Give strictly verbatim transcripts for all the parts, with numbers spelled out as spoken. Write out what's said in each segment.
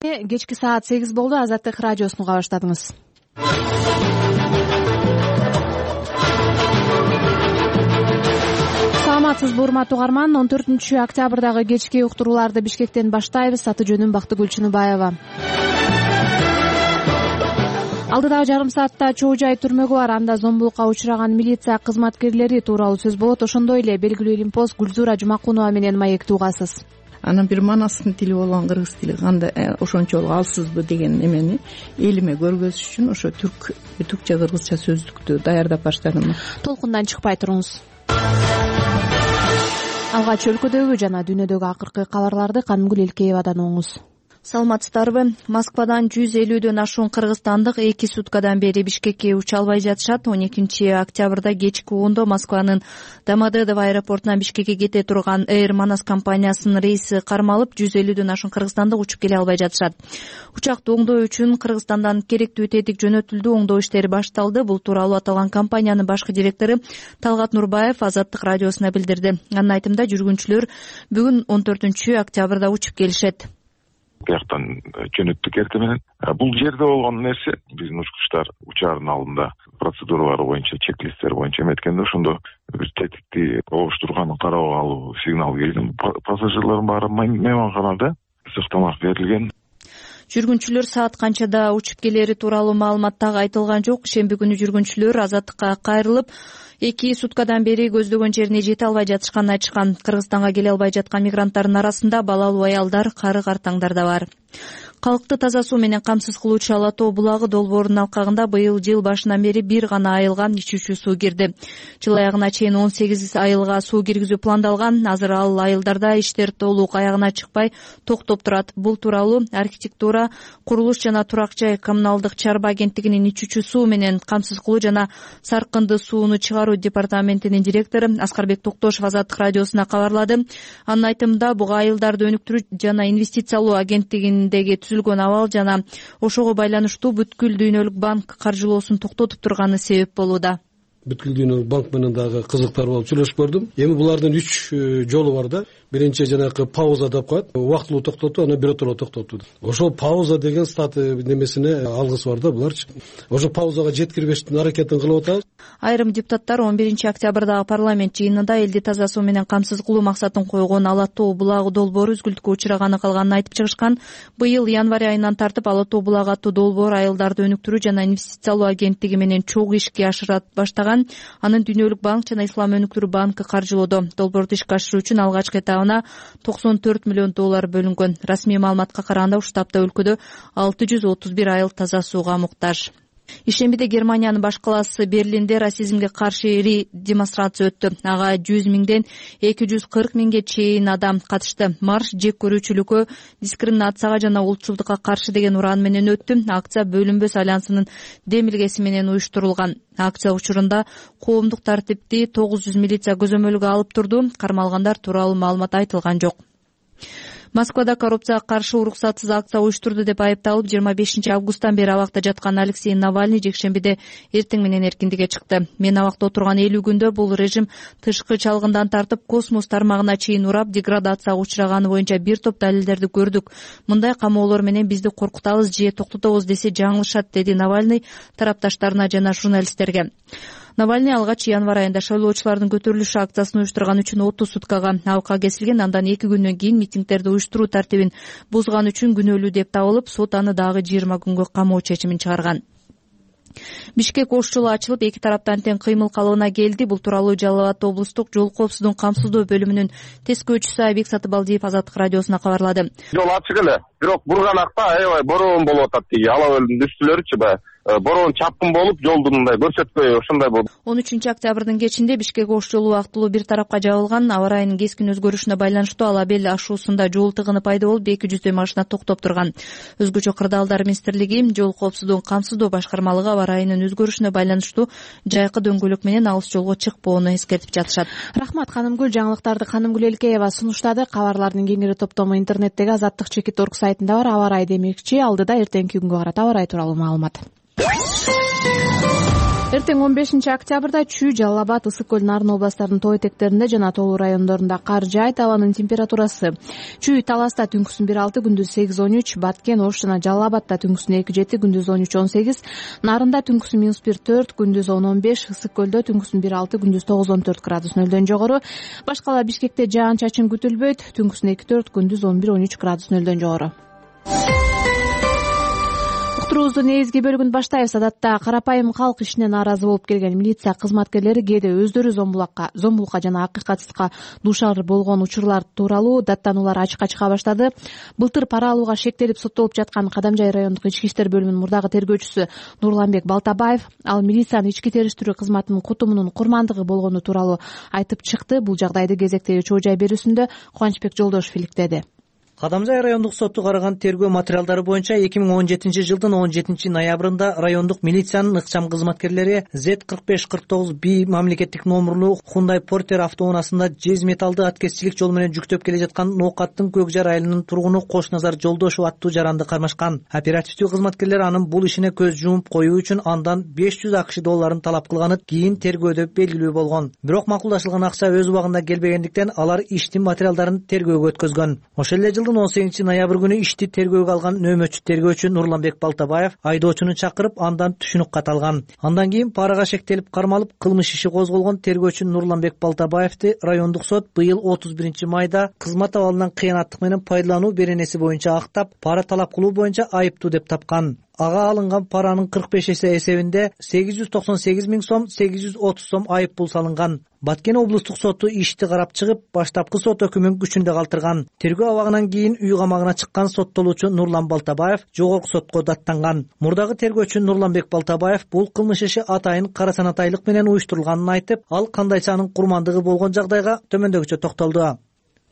Кечки саат сегиз болду. Азаттык радиосун уга баштадыңыз. Саламатсызбы урматтуу угарман. он төртүнчү октябрдагы кечки уктурууларды Бишкектен баштайбыз. Аты жөнүм Бактыгүл Чыныбаева. Алдыдагы жарым саатта чоо жай түрмөгү бар, анда зомбулукка учураган милиция кызматкерлери тууралуу сөз болот. Ошондой эле белгилүү илимпоз Гүлзура Жумакунова менен маекти угасыз. Анан бир манастын тили болгон кыргыз тили кандай ошончолук алсызбы деген эмени элиме көргөзүш үчүн ошо түрк түркчө кыргызча сөздүктү даярдап баштадым. Толкундан чыкпай туруңуз. Алгач өлкөдөгү жана дүйнөдөгү акыркы кабарларды Канымгүл Элкеевадан угуңуз. Саламатсыздарбы? Москвадан жүз элүүдөн ашуун кыргызстандык эки суткадан бери Бишкекке уча албай жатышат. он экинчи октябрда кечки ондо Москванын Домодедово аэропортунан Бишкекке кете турган Air Manas компаниясынын рейси кармалып, жүз элүүдөн ашуун кыргызстандык учуп келе албай жатышат. Учакты оңдоо үчүн Кыргызстандан керектүү тетик жөнөтүлдү, оңдоо иштери башталды. Бул тууралуу аталган компаниянын башкы директору Талгат Нурбаев Азаттык радиосуна билдирди. Анын айтымында жүргүнчүлөр бүгүн он төртүнчү октябрда учуп келишет. Бияктан жөнөттүк эртең менен. Бул жерде болгон нерсе биздин учкучтар учаардын алдында процедуралары боюнча, чек-листтер боюнча эметкенде ошондо бир тетикти обуштурганын карап алуу сигнал келген. Пассажирлардын баары мейманканада сыктамак берилген. Жүргүнчүлөр саат канчада учуп келери тууралуу маалымат так айтылган жок. Шемби күнү жүргүнчүлөр Азаттыкка кайрылып, эки суткадан бери көздөгөн жерине жете албай жатышканын айтышкан. Кыргызстанга келе албай жаткан мигранттардын арасында балалуу аялдар, кары-картаңдар да бар. Калкты таза суу менен камсыз кылуучу Ала Тоо булагы долбоорунун алкагында быйыл жыл башынан бери бир гана айылга ичүүчү суу кирди. Жыл аягына чейин он сегиз айылга суу киргизүү пландалган. Азыр ал айылдарда иштер толук аягына чыкпай токтоп турат. Бул тууралуу архитектура, курулуш жана турак жай коммуналдык чарба агенттигинин ичүүчү суу менен камсыз кылуу жана саркынды сууну чыгаруу департаментинин директору Аскарбек Токтошов Азаттык радиосуна кабарлады. Анын айтымында буга айылдарды өнүктүрүү жана инвестициялоо агенттигиндеги түзүлгөн абал жана ошого байланыштуу бүткүл дүйнөлүк банк каржылоосун токтотуп турганы себеп болууда. Бүткүл дүйнөлүк банк менен дагы кызыктар болуп сүйлөшүп көрдүм. Эми булардын үч жолу бар да. Биринчи жанагы пауза деп коет, убактылуу токтотуу, анан биротоло токтотуу. Ошол пауза деген статы немесине алгысы бар да буларчы. Ошо паузага жеткирбештин аракетин кылып атабыз. Айрым депутаттар он биринчи октябрдагы парламент жыйынында элди таза суу менен камсыз кылуу максатын койгон Ала Тоо булагы долбоору үзгүлтүккө учураганы калганын айтып чыгышкан. Быйыл январь айынан тартып Ала Тоо булагы аттуу долбоор айылдарды өнүктүрүү жана инвестициялоо агенттиги менен чогуу ишке ашыра баштаган. Анын Дүйнөлүк банк жана Ислам өнүктүрүү банкы каржылоодо. Долбоорду ишке ашыруу үчүн алгачкы этабына токсон төрт миллион доллар бөлүнгөн. Расмий маалыматка караганда ушул тапта өлкөдө алты жүз отуз бир айыл таза сууга муктаж. Ишембиде Германиянын баш калаасы Берлинде расизмге каршы ири демонстрация өттү. Ага жүз миңден эки жүз кырк миңге чейин адам катышты. Марш жек көрүүчүлүккө, дискриминацияга жана улутчулдукка каршы деген уран менен өттү. Акция Бөлүнбөс альянсынын демилгеси менен уюштурулган. Акция учурунда коомдук тартипти тогуз жүз милиция көзөмөлгө алып турду. Кармалгандар тууралуу маалымат айтылган жок. Москвада коррупцияга каршы уруксатсыз акция уюштурду деп айыпталып, жыйырма бешинчи августтан бери абакта жаткан Алексей Навальный жекшембиде эртең менен эркиндикке чыкты. Мен абакта отурган элүү күндө бул режим тышкы чалгындан тартып космос тармагына чейин урап, деградацияга учураганы боюнча бир топ далилдерди көрдүк. Мындай камоолор менен бизди коркутабыз же токтотобуз десе жаңылышат, деди Навальный тарапташтарына жана журналисттерге. Навальный алгач январь айында шайлоочулардын көтөрүлүшү акциясын уюштурган үчүн отуз суткага абакка кесилген. Андан эки күндөн кийин митингдерди уюштуруу тартибин бузган үчүн күнөөлүү деп табылып, сот аны дагы жыйырма күнгө камоо чечимин чыгарган. Бишкек ош жолу ачылып, эки тараптан тең кыймыл калыбына келди. Бул тууралуу Жалал Абад облустук жол коопсуздугун камсыздоо бөлүмүнүн тескөөчүсү Айбек Сатыбалдиев Азаттык радиосуна кабарлады. Жол ачык эле, бирок бурганакта аябай бороон болуп атат. Тиги ала көлдүн үстүлөрүчү баягы бороон чапкын болуп, жолдун мындай көрсөтпөй ошондой болду. он үчүнчү октябрдын кечинде Бишкек ош жолу убактылуу бир тарапка жабылган. Аба ырайынын кескин өзгөрүшүнө байланыштуу Ала Бел ашуусунда жол тыгыны пайда болуп, эки жүздөй машина токтоп турган. Өзгөчө кырдаалдар министрлиги, жол коопсуздугун камсыздоо башкармалыгы аба ырайынын өзгөрүшүнө байланыштуу жайкы дөңгөлөк менен алыс жолго чыкпоону эскертип жатышат. Рахмат Канымгүл. Жаңылыктарды Канымгүл Элкеева сунуштады. Кабарлардын кеңири топтому интернеттеги азаттык чекит орг сайтында бар. Аба ырайы демекчи, алдыда эртеңки күнгө карата аба ырайы тууралуу маалымат. Эртең он бешинчи октябрда Чүй, Жалал Абад, Ысык көл, Нарын областарынын тоо этектеринде жана тоолуу райондорунда кар жаайт. Абанын температурасы: Чүй, Таласта түнкүсүн бир алты, күндүз сегиз он үч, Баткен, Ош жана Жалал Абадта түнкүсүн эки жети, күндүз он үч он сегиз, Нарында түнкүсүн минус бир төрт, күндүз он он беш, Ысык көлдө түнкүсүн бир алты, күндүз тогуз он төрт градус нөлдөн жогору. Башкала Бишкекте жаан чачын күтүлбөйт, түнкүсүн эки төрт, күндүз он бир он үч градус нөлдөн жогору. Уктуруубуздун негизги бөлүгүн баштайбыз. Адатта карапайым калк ишине нааразы болуп келген милиция кызматкерлери кээде өздөрү зомбулукка зомбулукка жана акыйкатсызга дуушар болгон учурлар тууралуу даттануулар ачыкка чыга баштады. Былтыр пара алууга шектелип соттолуп жаткан Кадамжай райондук ички иштер бөлүмүнүн мурдагы тергөөчүсү Нурланбек Балтабаев ал милициянын ички териштирүү кызматынын кутумунун курмандыгы болгону тууралуу айтып чыкты. Бул жагдайды кезектеги чоо жай берүүсүндө Кубанычбек Жолдошев иликтеди. Кадамжай райондук соту караган тергөө материалдары боюнча эки миң он жетинчи жылдын он жетинчи ноябрында райондук милициянын ыкчам кызматкерлери зет кырк беш кырк тогуз би мамлекеттик номурлуу Hyundai Porter автоунаасында жез металлды аткезчилик жол менен жүктөп келе жаткан Ноокаттын Көк Жар айылынын тургуну Кошназар Жолдошев аттуу жаранды кармашкан. Оперативдүү кызматкерлер анын бул ишине көз жумуп коюу үчүн андан беш жүз акш долларын талап кылганы кийин тергөөдө белгилүү болгон. Бирок макулдашылган акча өз убагында келбегендиктен алар иштин материалдарын тергөөгө өткөзгөн. Ошол эле жылдын он сегизинчи ноябрь күнү ишти тергөөгө алган нөөмөтчү тергөөчү Нурланбек Балтабаев айдоочуну чакырып андан түшүнүк кат алган. Андан кийин парага шектелип кармалып кылмыш иши козголгон тергөөчү Нурланбек Балтабаевди райондук сот быйыл отуз биринчи майда кызмат абалынан кыянаттык менен пайдалануу беренеси боюнча актап, пара талап кылуу боюнча айыптуу деп тапкан. Ага алынган паранын кырк беш эсе эсебинде сегиз жүз токсон сегиз миң сом, сегиз жүз отуз сом айып пул салынган. Баткен облустук соту ишти карап чыгып, баштапкы сот өкүмүн күчүндө калтырган. Тергөө абагынан кийин үй камагына чыккан соттолуучу Нурлан Балтабаев жогорку сотко даттанган. Мурдагы тергөөчү Нурланбек Балтабаев бул кылмыш иши атайын кара санатайлык менен уюштурулганын айтып, ал кандайча анын курмандыгы болгон жагдайга төмөндөгүчө токтолду.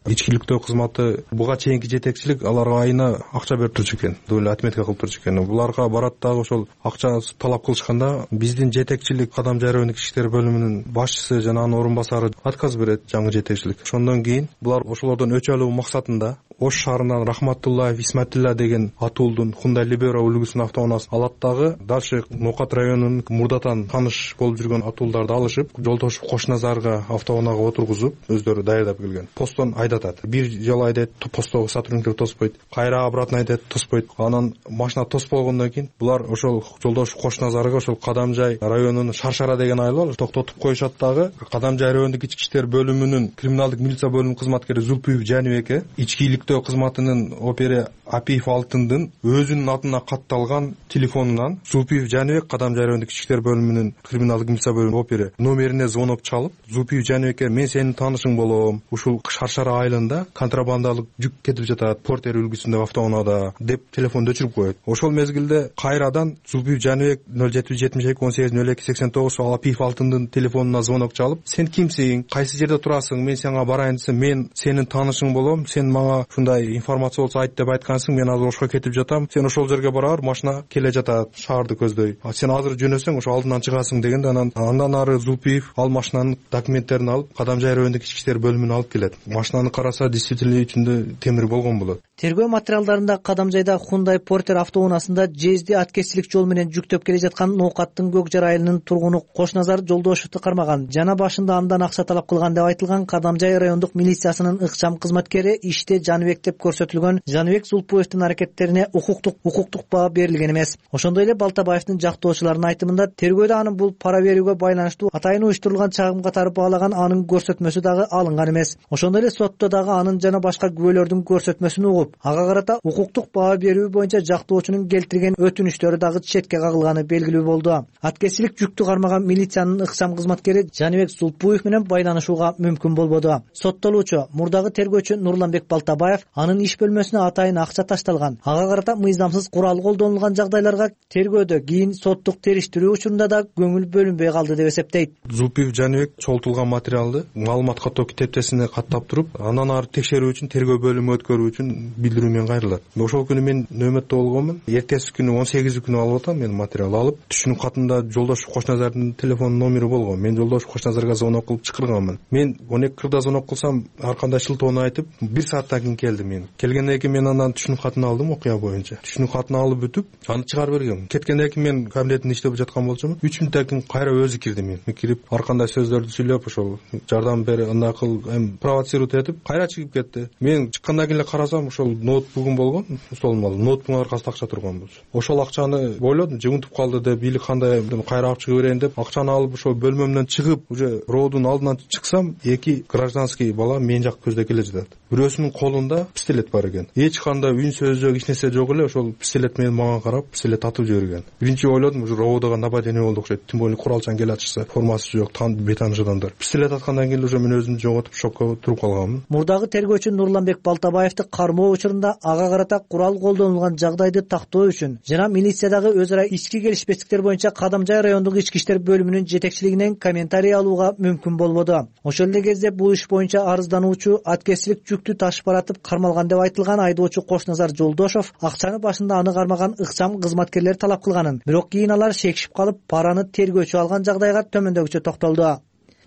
Ичкиликтөө кызматы буга чейинки жетекчилик аларга айына акча берип турчу экен, доля отметка кылып турчу экен. Буларга барат дагы ошол акча талап кылышканда биздин жетекчилик Кадамжай райондук ички иштер бөлүмүнүн башчысы жана анын орун басары отказ берет, жаңы жетекчилик. Ошондон кийин булар ошолордон өч алуу максатында Ош шаарынан Рахматуллаев Исматилла деген атуулдун Hyundai Libero үлгүсүнүн автоунаасын алат дагы дальше Ноокат районунун мурдатан тааныш болуп жүргөн атуулдарды алышып, Жолдошев Кошназарга автоунаага отургузуп, өздөрү даярдап келген. Постон айдатат. Бир жолу айдайт, посттогу сотрудниктер тоспойт. Кайра обратно айдайт, тоспойт. Анан машина тоспогондон кийин булар ошол Жолдошев Кошназарга ошол Кадамжай районунун Шаршара деген айыл бар, токтотуп коюшат дагы. Кадамжай райондук ички иштер бөлүмүнүн криминалдык милиция бөлүмүнүн кызматкери Зулпиев Жанибекке ичкиликтөө кызматынын опери Апиев Алтындын өзүнүн атына катталган телефонунан Зулпиев Жанибек Кадамжай райондук ички иштер бөлүмүнүн криминалдык милиция бөлүмүнүн опери номерине звонок чалып, Зулпиев Жанибекке мен сенин таанышың болом, ушул Шаршара айылында контрабандалык жүк кетип жатат, Портер үлгүсүндөгү автоунаада деп телефонду өчүрүп коет. Ошол мезгилде кайрадан Зулпиев Жанибек нөл жети жүз жетимиш эки он сегиз нөл эки сексен тогуз Апиев Алтындын телефонуна звонок чалып, сен кимсиң, кайсы жерде турасың, мен сага барайын десем, мен сенин таанышың болом, сен мага ушундай информация болсо айт деп айткансың, мен азыр Ошко кетип жатам, сен ошол жерге бара бер, машина келе жатат, шаарды көздөй, сен азыр жөнөсөң ошо алдынан чыгасың дегенде, анан андан ары Зулпиев ал машинанын документтерин алып Кадамжай райондук ички иштер бөлүмүнө алып келет. Машинаны караса действительно ичинде темир болгон болот. Тергөө материалдарында Кадамжайда Hyundai Porter автоунаасында жезди аткезчилик жол менен жүктөп келе жаткан Ноокаттын Көк Жар айылынын тургуну Кошназар Жолдошевду кармаган жана башында андан акча талап кылган деп айтылган Кадамжай райондук милициясынын ыкчам кызматкери иште Жаныбек деп көрсөтүлгөн Жаныбек Зулпуевдин аракеттерине укуктук укуктук баа берилген эмес. Ошондой эле Балтабаевдин жактоочуларынын айтымында тергөөдө анын бул пара берүүгө байланыштуу атайын уюштурулган чагым катары баалаган анын көрсөтмөсү дагы алынган эмес. Ошондой эле сотто дагы анын жана башка күбөлөрдүн көрсөтмөсүн угуп, ага карата укуктук баа берүү боюнча жактоочунун келтирген өтүнүштөрү дагы четке кагылганы белгилүү болду. Аткезчилик жүктү кармаган милициянын ыкчам кызматкери Жаныбек Зулпуев менен байланышууга мүмкүн болбоду. Соттолуучу мурдагы тергөөчү Нурланбек Балтабаев анын иш бөлмөсүнө атайын акча ташталган, ага карата мыйзамсыз курал колдонулган жагдайларга тергөөдө кийин соттук териштирүү учурунда да көңүл бөлүнбөй калды деп эсептейт. Зулпиев Жаныбек чогултулган материалды маалымат каттоо китептесине каттап туруп, андан ары текшерүү үчүн тергөө бөлүмү өткөрүү үчүн билдирүү менен кайрылат. Ошол күнү мен нөөмөттө болгонмун. Эртеси күнү он сегизи күнү алып атам, мен материал алып, түшүнүк катында Жолдошев Кошназардын телефон номери болгон. Мен Жолдошев Кошназарга звонок кылып чакырганмын. Мен он эки кырда звонок кылсам, ар кандай шылтоону айтып, бир сааттан кийин келди. Мен келгенден кийин мен андан түшүнүк катын алдым, окуя боюнча түшүнүк катын алып бүтүп аны чыгарып бергем. Кеткенден кийин мен кабинетинде иштеп жаткан болчумун. үч мүнөттөн кийин кайра өзү кирди. Мен кирип ар кандай сөздөрдү сүйлөп ошол жардам бер, андай кыл, эми провоцировать этип кайра чыгып кетти. Мен чыккандан кийин эле карасам ошол ноутбугум болгон, столдун алдында ноутбугун аркасында акча турган болчу. Ошол акчаны ойлодум, жыгынтып калды деп, бийлик кандай кайра алып чыга берейин деп акчаны алып ошол бөлмөмдөн чыгып уже роодун алдынан чыксам, эки гражданский бала мен жак көздөй келе жатат. Бирөөсүнүн колунда пистолет бар экен. Эч кандай үн сөз жок, эч нерсе жок эле. Ошол пистолет менен мага карап пистолет атып жиберген. Биринчи ойлодум, уже роодого нападение болду окшойт. Тим более куралчан келе атышса, формасы жок, бетаныш адамдар. Пистолет аткандан кийин уже мен өзүмдү жоготуп шокко туруп калганмын. Мурдагы тергөөчү Нурланбек Балтабаевди кармоо учурунда ага карата курал колдонулган жагдайды тактоо үчүн жана милициядагы өз ара ички келишпестиктер боюнча Кадамжай райондук ички иштер бөлүмүнүн жетекчилигинен комментарий алууга мүмкүн болбоду. Ошол эле кезде бул иш боюнча арыздануучу аткезчилик жүктү ташып баратып кармалган деп айтылган айдоочу Кошназар Жолдошов акчаны башында аны кармаган ыкчам кызматкерлер талап кылганын, бирок кийин алар шекишип калып параны тергөөчү алган жагдайга төмөндөгүчө токтолду.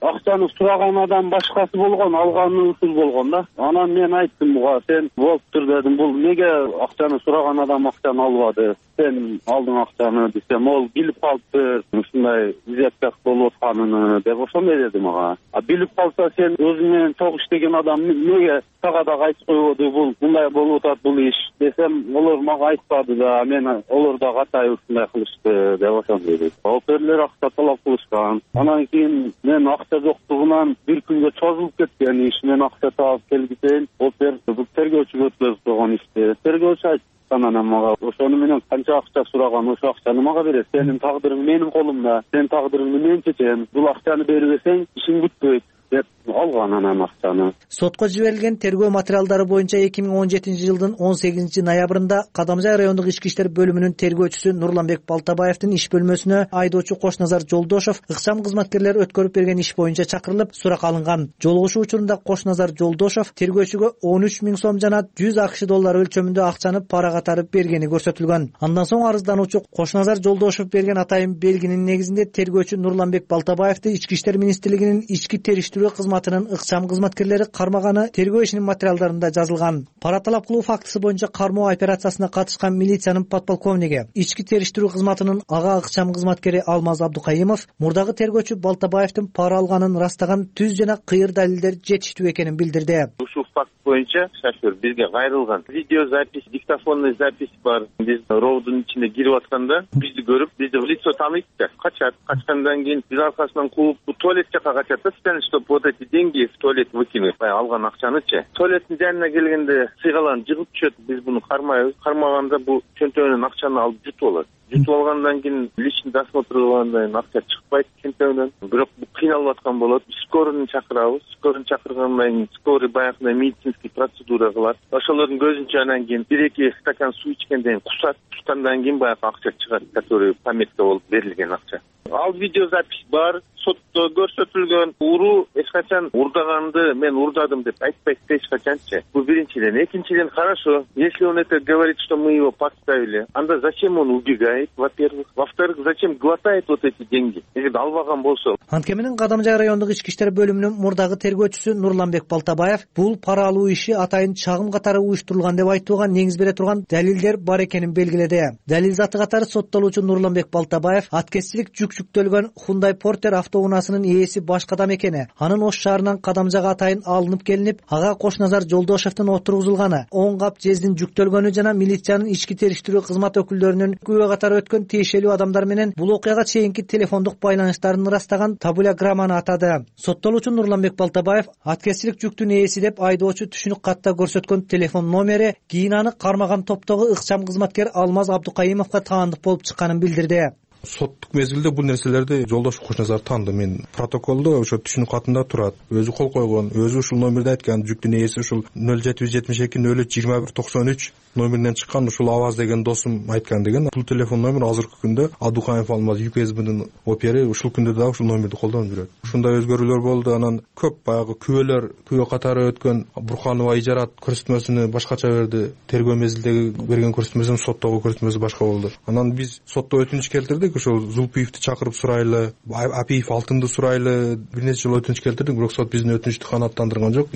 Акчаны сураган адам башкасы болгон, алганы ушул болгон да. Анан мен айттым буга, сен болуптур дедим, бул эмнеге акчаны сураган адам акчаны албады? Сен алдың акчаны десем, ол билип калыптыр, ушундай изяткак болуп атканын деп ошондой деди мага. А билип калса, сен өзүң менен чогуу иштеген адам эмнеге сага дагы айтып койбоду, бул мындай болуп атат бул иш десем, олар мага айтпады да, мен олар да катай ушундай кылышты деп ошондой деди. Оперлер акча талап кылышкан. Анан кийин мен акча жоктугунан бир күнгө чозулуп кеткен иш, мен акча таап келгитейин, опер бул тергөөчүгө өткөзүп койгон ишти. Тергөөчү айтты анан мага, ошону менен канча акча сураган, ошо акчаны мага берет. Сенин тагдырың менин колумда, сен тагдырыңды мен чечем. Бул акчаны бербесең ишиң бүтпөйт деп алган анан акчаны. Сотко жиберилген тергөө материалдары боюнча эки миң он жетинчи жылдын он сегизинчи ноябрында Кадамжай райондук ички иштер бөлүмүнүн тергөөчүсү Нурланбек Балтабаевдин иш бөлмөсүнө айдоочу Кошназар Жолдошов ыкчам кызматкерлер өткөрүп берген иш боюнча чакырылып сурак алынган. Жолугушуу учурунда Кошназар Жолдошов тергөөчүгө он үч миң сом жана жүз акш доллары өлчөмүндө акчаны пара катары бергени көрсөтүлгөн. Андан соң арыздануучу Кошназар Жолдошов берген атайын белгинин негизинде тергөөчү Нурланбек Балтабаевди ички иштер министрлигинин ички териштирүү кызматынын ыкчам кызматкерлери кармаганы тергөө ишинин материалдарында жазылган. Пара талап кылуу фактысы боюнча кармоо операциясына катышкан милициянын подполковниги, ички териштирүү кызматынын ага ыкчам кызматкери Алмаз Абдукайымов мурдагы тергөөчү Балтабаевдин пара алганын ырастаган түз жана кыйыр далилдер жетиштүү экенин билдирди. Ушул факт боюнча шофер бизге кайрылган. Видеозапись, диктофонный запись бар. Биз роудун ичине кирип атканда бизди көрүп, бизди в лицо тааныйт да. Качат. Качкандан кийин биз аркасынан кууп, бу туалет жака качат да, чтобы вот эти деньги в туалет выкинуть. Алган акчанычы. Туалеттин жанына келгенде сыйгаланып жыгып түшөт. Биз буну кармайбыз. Кармаганда бу чөнтөгүнөн акчаны алып жутуп алат. Жутуп алгандан кийин личный досмотр кылгандан кийин акча чыкпайт чөнтөгүнөн. Бирок бу кыйналып аткан болот. Скорыйны чакырабыз. Скорыйны чакыргандан кийин скорый баягындай медицинский процедура кылат. Ошолордун көзүнчө анан кийин бир-эки стакан суу ичкенден кийин кусат. Кускандан кийин баягы акча чыгат, который пометка болуп берилген акча. Ал видеозапись бар. Сотто көрсөтүлгөн. Уруу эч качан урдаганды мен урдадым деп айтпайт эч качанчы. Бул биринчиден. Экинчиден, хорошо, если он это говорит, что мы его подставили, анда зачем он убегает, во-первых. Во-вторых, зачем глотает вот эти деньги? Эгер албаган болсо. Анткени менен Кадамжай райондук ички иштер бөлүмүнүн мурдагы тергөөчүсү Нурланбек Балтабаев бул пара алуу иши атайын чагым катары уюштурулган деп айтууга негиз бере турган далилдер бар экенин белгиледи. Далил заты катары соттолуучу Нурланбек Балтабаев аткезчилик жүк жүктөлгөн Hyundai Porter автоунаасынын ээси башка адам экени, анын Ош шаарынан Кадамжайга атайын алынып келинип, ага Кошназар Жолдошовдун отургузулганы, он кап жездин жүктөлгөнү жана милициянын ички териштирүү кызмат өкүлдөрүнүн күбө катары өткөн тиешелүү адамдар менен бул окуяга чейинки телефондук байланыштарын ырастаган табуляграмманы атады. Соттолуучу Нурланбек Балтабаев аткезчилик жүктүн ээси деп айдоочу түшүнүк катта көрсөткөн телефон номери кийин аны кармаган топтогу ыкчам кызматкер Алмаз Абдукайымовго таандык болуп чыкканын билдирди. Соттук мезгилде бул нерселерди Жолдош Кошназар тааныды. Мен протоколдо ошо түшүнүк катында турат. Өзү кол койгон, өзү ушул номерди айткан, жүктүн ээси ушул нөл жети жүз жетимиш эки нөл үч жыйырма бир токсон үч номеринен чыккан, ушул Аваз деген досум айткан деген. Бул телефон номер азыркы күндө Абдукайымов Алмаз ЮКСБнын опери ушул күндө дагы ушул номерди колдонуп жүрөт. Ушундай өзгөрүүлөр болду. Анан көп баягы күбөлөр, күбө катары өткөн Бурханова ижарат көрсөтмөсүнө башкача берди. Тергөө мезгилдеги берген көрсөтмөсүн соттогу көрсөтмөсү башка болду. Анан биз сотто өтүнүч келтирдик. элек ошол Зулпиевди чакырып сурайлы, Апиев Алтынды сурайлы бир нече жолу өтүнүч келтирдик, бирок сот биздин өтүнүчтү канааттандырган жок,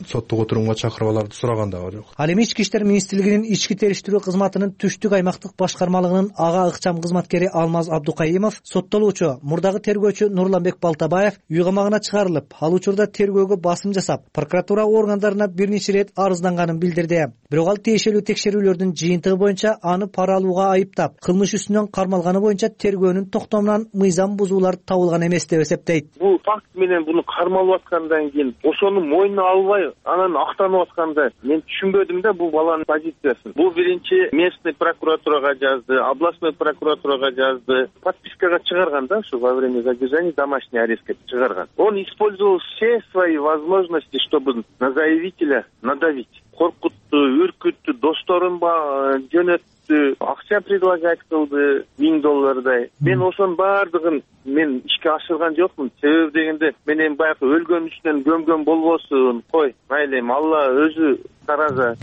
соттук отурумга чакырып аларды сураган дагы жок. Ал эми Ички иштер министрлигинин ички териштирүү кызматынын түштүк аймактык башкармалыгынын ага ыкчам кызматкери Алмаз Абдукайымов соттолуучу мурдагы тергөөчү Нурланбек Балтабаев үй камагына чыгарылып, ал учурда тергөөгө басым жасап, прокуратура органдарына бир нече ирет арызданганын билдирди. Бирок ал тиешелүү текшерүүлөрдүн жыйынтыгы боюнча аны пара алууга айыптап, кылмыш үстүнөн кармалганы боюнча тергөөнүн токтомунан мыйзам бузуулар табылган эмес деп эсептейт. Бул факт менен буну кармалып аткандан кийин ошону мойнуна албай анан актанып атканда мен түшүнбөдүм да бул баланын позициясын. Бул биринчи местный прокуратурага жазды, областной прокуратурага жазды, подпискага чыгарган да, ушу во время задержания домашний арестке чыгарган. Он использовал все свои возможности, чтобы на заявителя надавить. Коркутту, үркүттү, досторун жөнөттү, акча предлагать кылды, миң доллардай. Мен ошонун баардыгын мен ишке ашырган жокмун. Себеби дегенде мен эми баягы өлгөн үчүнөн gömгөн болбосун. Кой, майли эми Алла өзү тараза.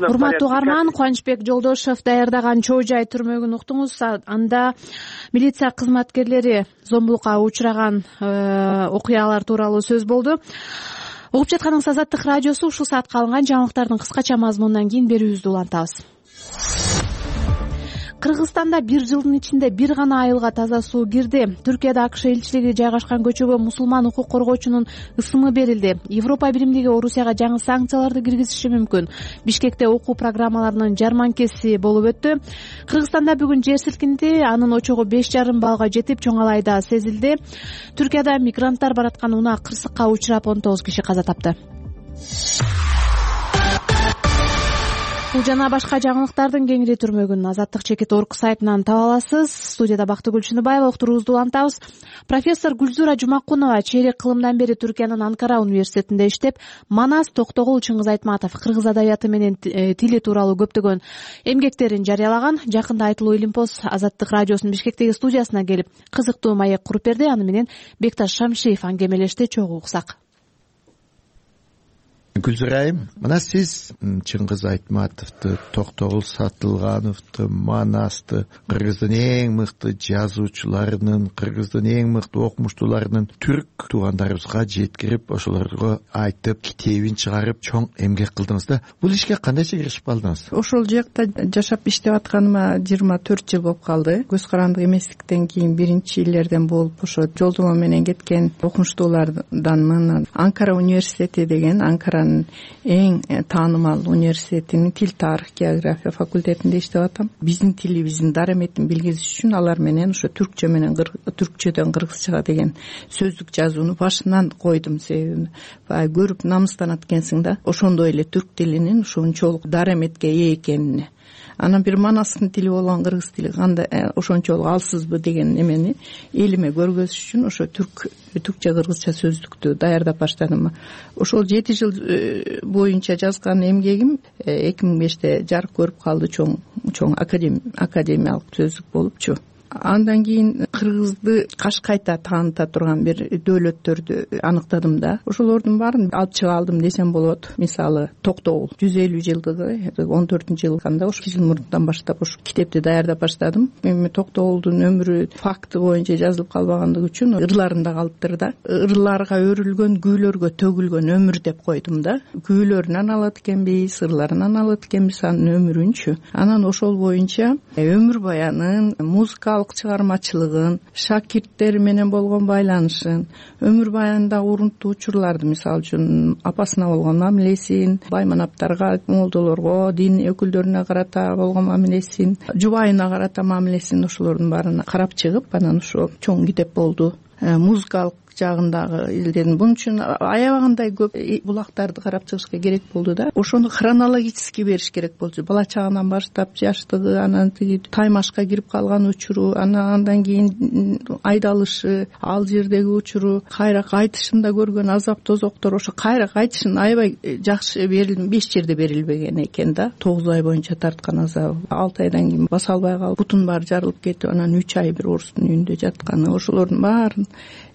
Урматтуу угарман, Кубанычбек Жолдошев даярдаган чоо жай түрмөгүн уктуңуз. Анда милиция кызматкерлери зомбулукка учураган окуялар тууралуу сөз болду. Угуп жатканыңыз Азаттык радиосу. Ушул саатка алынган жаңылыктардын кыскача мазмунунан кийин берүүбүздү улантабыз. Кыргызстанда бир жылдын ичинде бир гана айылга таза суу кирди. Түркияда АКШ элчилиги жайгашкан көчөгө мусулман укук коргоочунун ысымы берилди. Европа биримдиги Орусияга жаңы санкцияларды киргизиши мүмкүн. Бишкекте окуу программаларынын жарманкеси болуп өттү. Кыргызстанда бүгүн жер силкинди, анын очогу беш жарым баллга жетип, Чоңалайда сезилди. Түркияда мигранттар бараткан унаа кырсыкка учурап он тогуз киши каза тапты. Бул жана башка жаңылыктардын кеңири түрмөгүн азаттык чекит точка орг сайтынан таба аласыз. Студияда Бактыгүл Чыныбаева, уктуруубузду улантабыз. Профессор Гүлзура Жумакунова чейрек кылымдан бери Түркиянын Анкара университетинде иштеп, Манас, Токтогул, Чыңгыз Айтматов кыргыз адабияты менен тили тууралуу көптөгөн эмгектерин жарыялаган. Жакында Айтылуу Илимпоз Азаттык радиосунун Бишкектеги студиясына келип, кызыктуу маек куруп берди. Аны менен Бекташ Шамшиев аңгемелешти. Чогуу уксак. Гүлзурайым, мына сиз Чыңгыз Айтматовду, Токтогул Сатылгановду, Манасты, кыргыздын эң мыкты жазуучуларынын, кыргыздын эң мыкты окумуштууларынын түрк туугандарыбызга жеткирип, ошолорго айтып, китебин чыгарып, чоң эмгек кылдыңыз да. Бул ишке кандайча киришип калдыңыз? Ошол жакта жашап иштеп атканыма жыйырма төрт жыл болуп калды. Көз карандык эместиктен кийин биринчи иллерден болуп, ошо жолдомо менен кеткен окумуштуулардан Анкара университети деген, Анкара эң таанымал университетинин тил, тарых, география факультетинде иштеп атам. Биздин тилибиздин дараметин билгизиш үчүн алар менен ошо түркчө менен түркчөдөн кыргызчага деген сөздүк жазууну башынан койдум. Себеби баягы көрүп намыстанат экенсиң да, ошондой эле түрк тилинин ушунчолук дараметке ээ экенине. Анан бир Манастын тили болгон кыргыз тили кандай ошончолук алсызбы деген эмени элиме көргөзүш үчүн ошо түрк түркчө кыргызча сөздүктү даярдап баштадым. Ошол жети жыл боюнча жазган эмгегим эки миң беште жарык көрүп калды, чоң чоң академиялык сөздүк болупчу. Андан кийин кыргызды кашкайта тааныта турган бир дөөлөттөрдү аныктадым да. Ошолордун баарын алып чыга алдым десем болот. Мисалы, Токтогул жүз элүү жылдыгы он төртүнчү жыл кандай ошо жыл мурундан баштап ошо китепти даярдап баштадым. Эми Токтогулдун өмүрү факты боюнча жазылып калбагандыгы үчүн ырларында калыптыр да. Ырларга өрүлгөн, гүйлөргө төгүлгөн өмүр деп койдум да. Гүйлөрүнөн алат экенбиз, ырларынан алат экенбиз анын өмүрүнчү. Анан ошол боюнча өмүр баянын, музыкалык чыгармачылыгын, шакирттери менен болгон байланышын, өмүр баянындагы урунттуу учурларды, мисалы үчүн апасына болгон мамилесин, байманаптарга, молдолорго, дин өкүлдөрүнө карата болгон мамилесин, жубайына карата мамилесин, ошолордун баарына карап чыгып, анан ошо чоң китеп болду. Музыкалык жагындагы илдерин бун үчүн аябагандай көп булактарды карап чыгышка керек болду да. Ошону хронологически бериш керек болчу. Бала чагынан баштап жаштыгы, анан тиги Таймашка кирип калган учуру, анан андан кийин айдалышы, ал жердеги учуру, кайра кайтышында көргөн азап тозоктор, ошо кайра кайтышын аябай жакшы берилди, беш жерде берилбеген экен да. тогуз ай боюнча тарткан азабы, алты айдан кийин баса албай калып, бутун баары жарылып кетип, анан үч ай бир орустун үйүндө жатканы, ошолордун баарын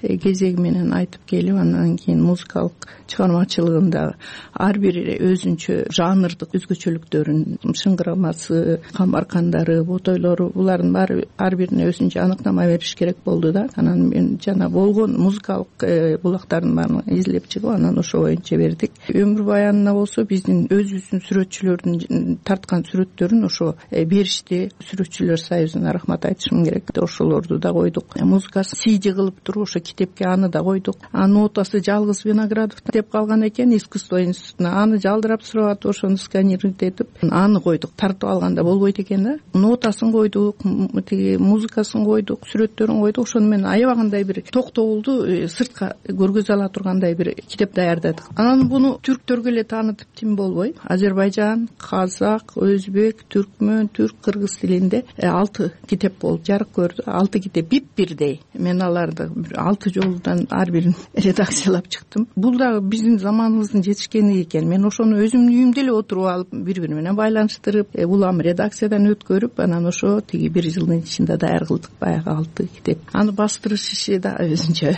кезеги тиреги менен айтып келип, андан кийин музыкалык чыгармачылыгында ар бир өзүнчө жанрдык өзгөчөлүктөрүн, шыңгырамасы, камбаркандары, ботойлору, булардын баары ар бирине өзүнчө аныктама бериш керек болду да. Анан мен жана болгон музыкалык булактардын баарын изилеп чыгып, анан ошо боюнча бердик. Өмүр баянына болсо биздин өзүбүздүн сүрөтчүлөрдүн тарткан сүрөттөрүн ошо беришти. Сүрөтчүлөр союзуна рахмат айтышым керек. Ошолорду да койдук. Музыкасы сиди кылып туруп ошо китепке аны да койдук. Анын нотасы жалгыз Виноградов деп калган экен искусство институтуна. Аны жалдырап сурап атып, ошону сканировать этип аны койдук. Тартып алганда болбойт экен да. Нотасын койдук, тиги музыкасын койдук, сүрөттөрүн койдук. Ошону менен аябагандай бир токтогулду сыртка көргөзө ала тургандай бир китеп даярдадык. Анан буну түрктөргө эле таанытып тим болбой, Азербайжан, казак, өзбек, түркмөн, түрк, кыргыз тилинде алты китеп болуп жарык көрдү. Алты китеп бип бирдей. Мен аларды алты жолудан ар бирин редакциялап чыктым. Бул дагы биздин заманыбыздын жетишкени экен. Мен ошону өзүмдүн үйүмдө эле отуруп алып, бири бири менен байланыштырып, улам редакциядан өткөрүп, анан ошо тиги бир жылдын ичинде даяр кылдык баягы алты китеп. Аны бастырыш иши да өзүнчө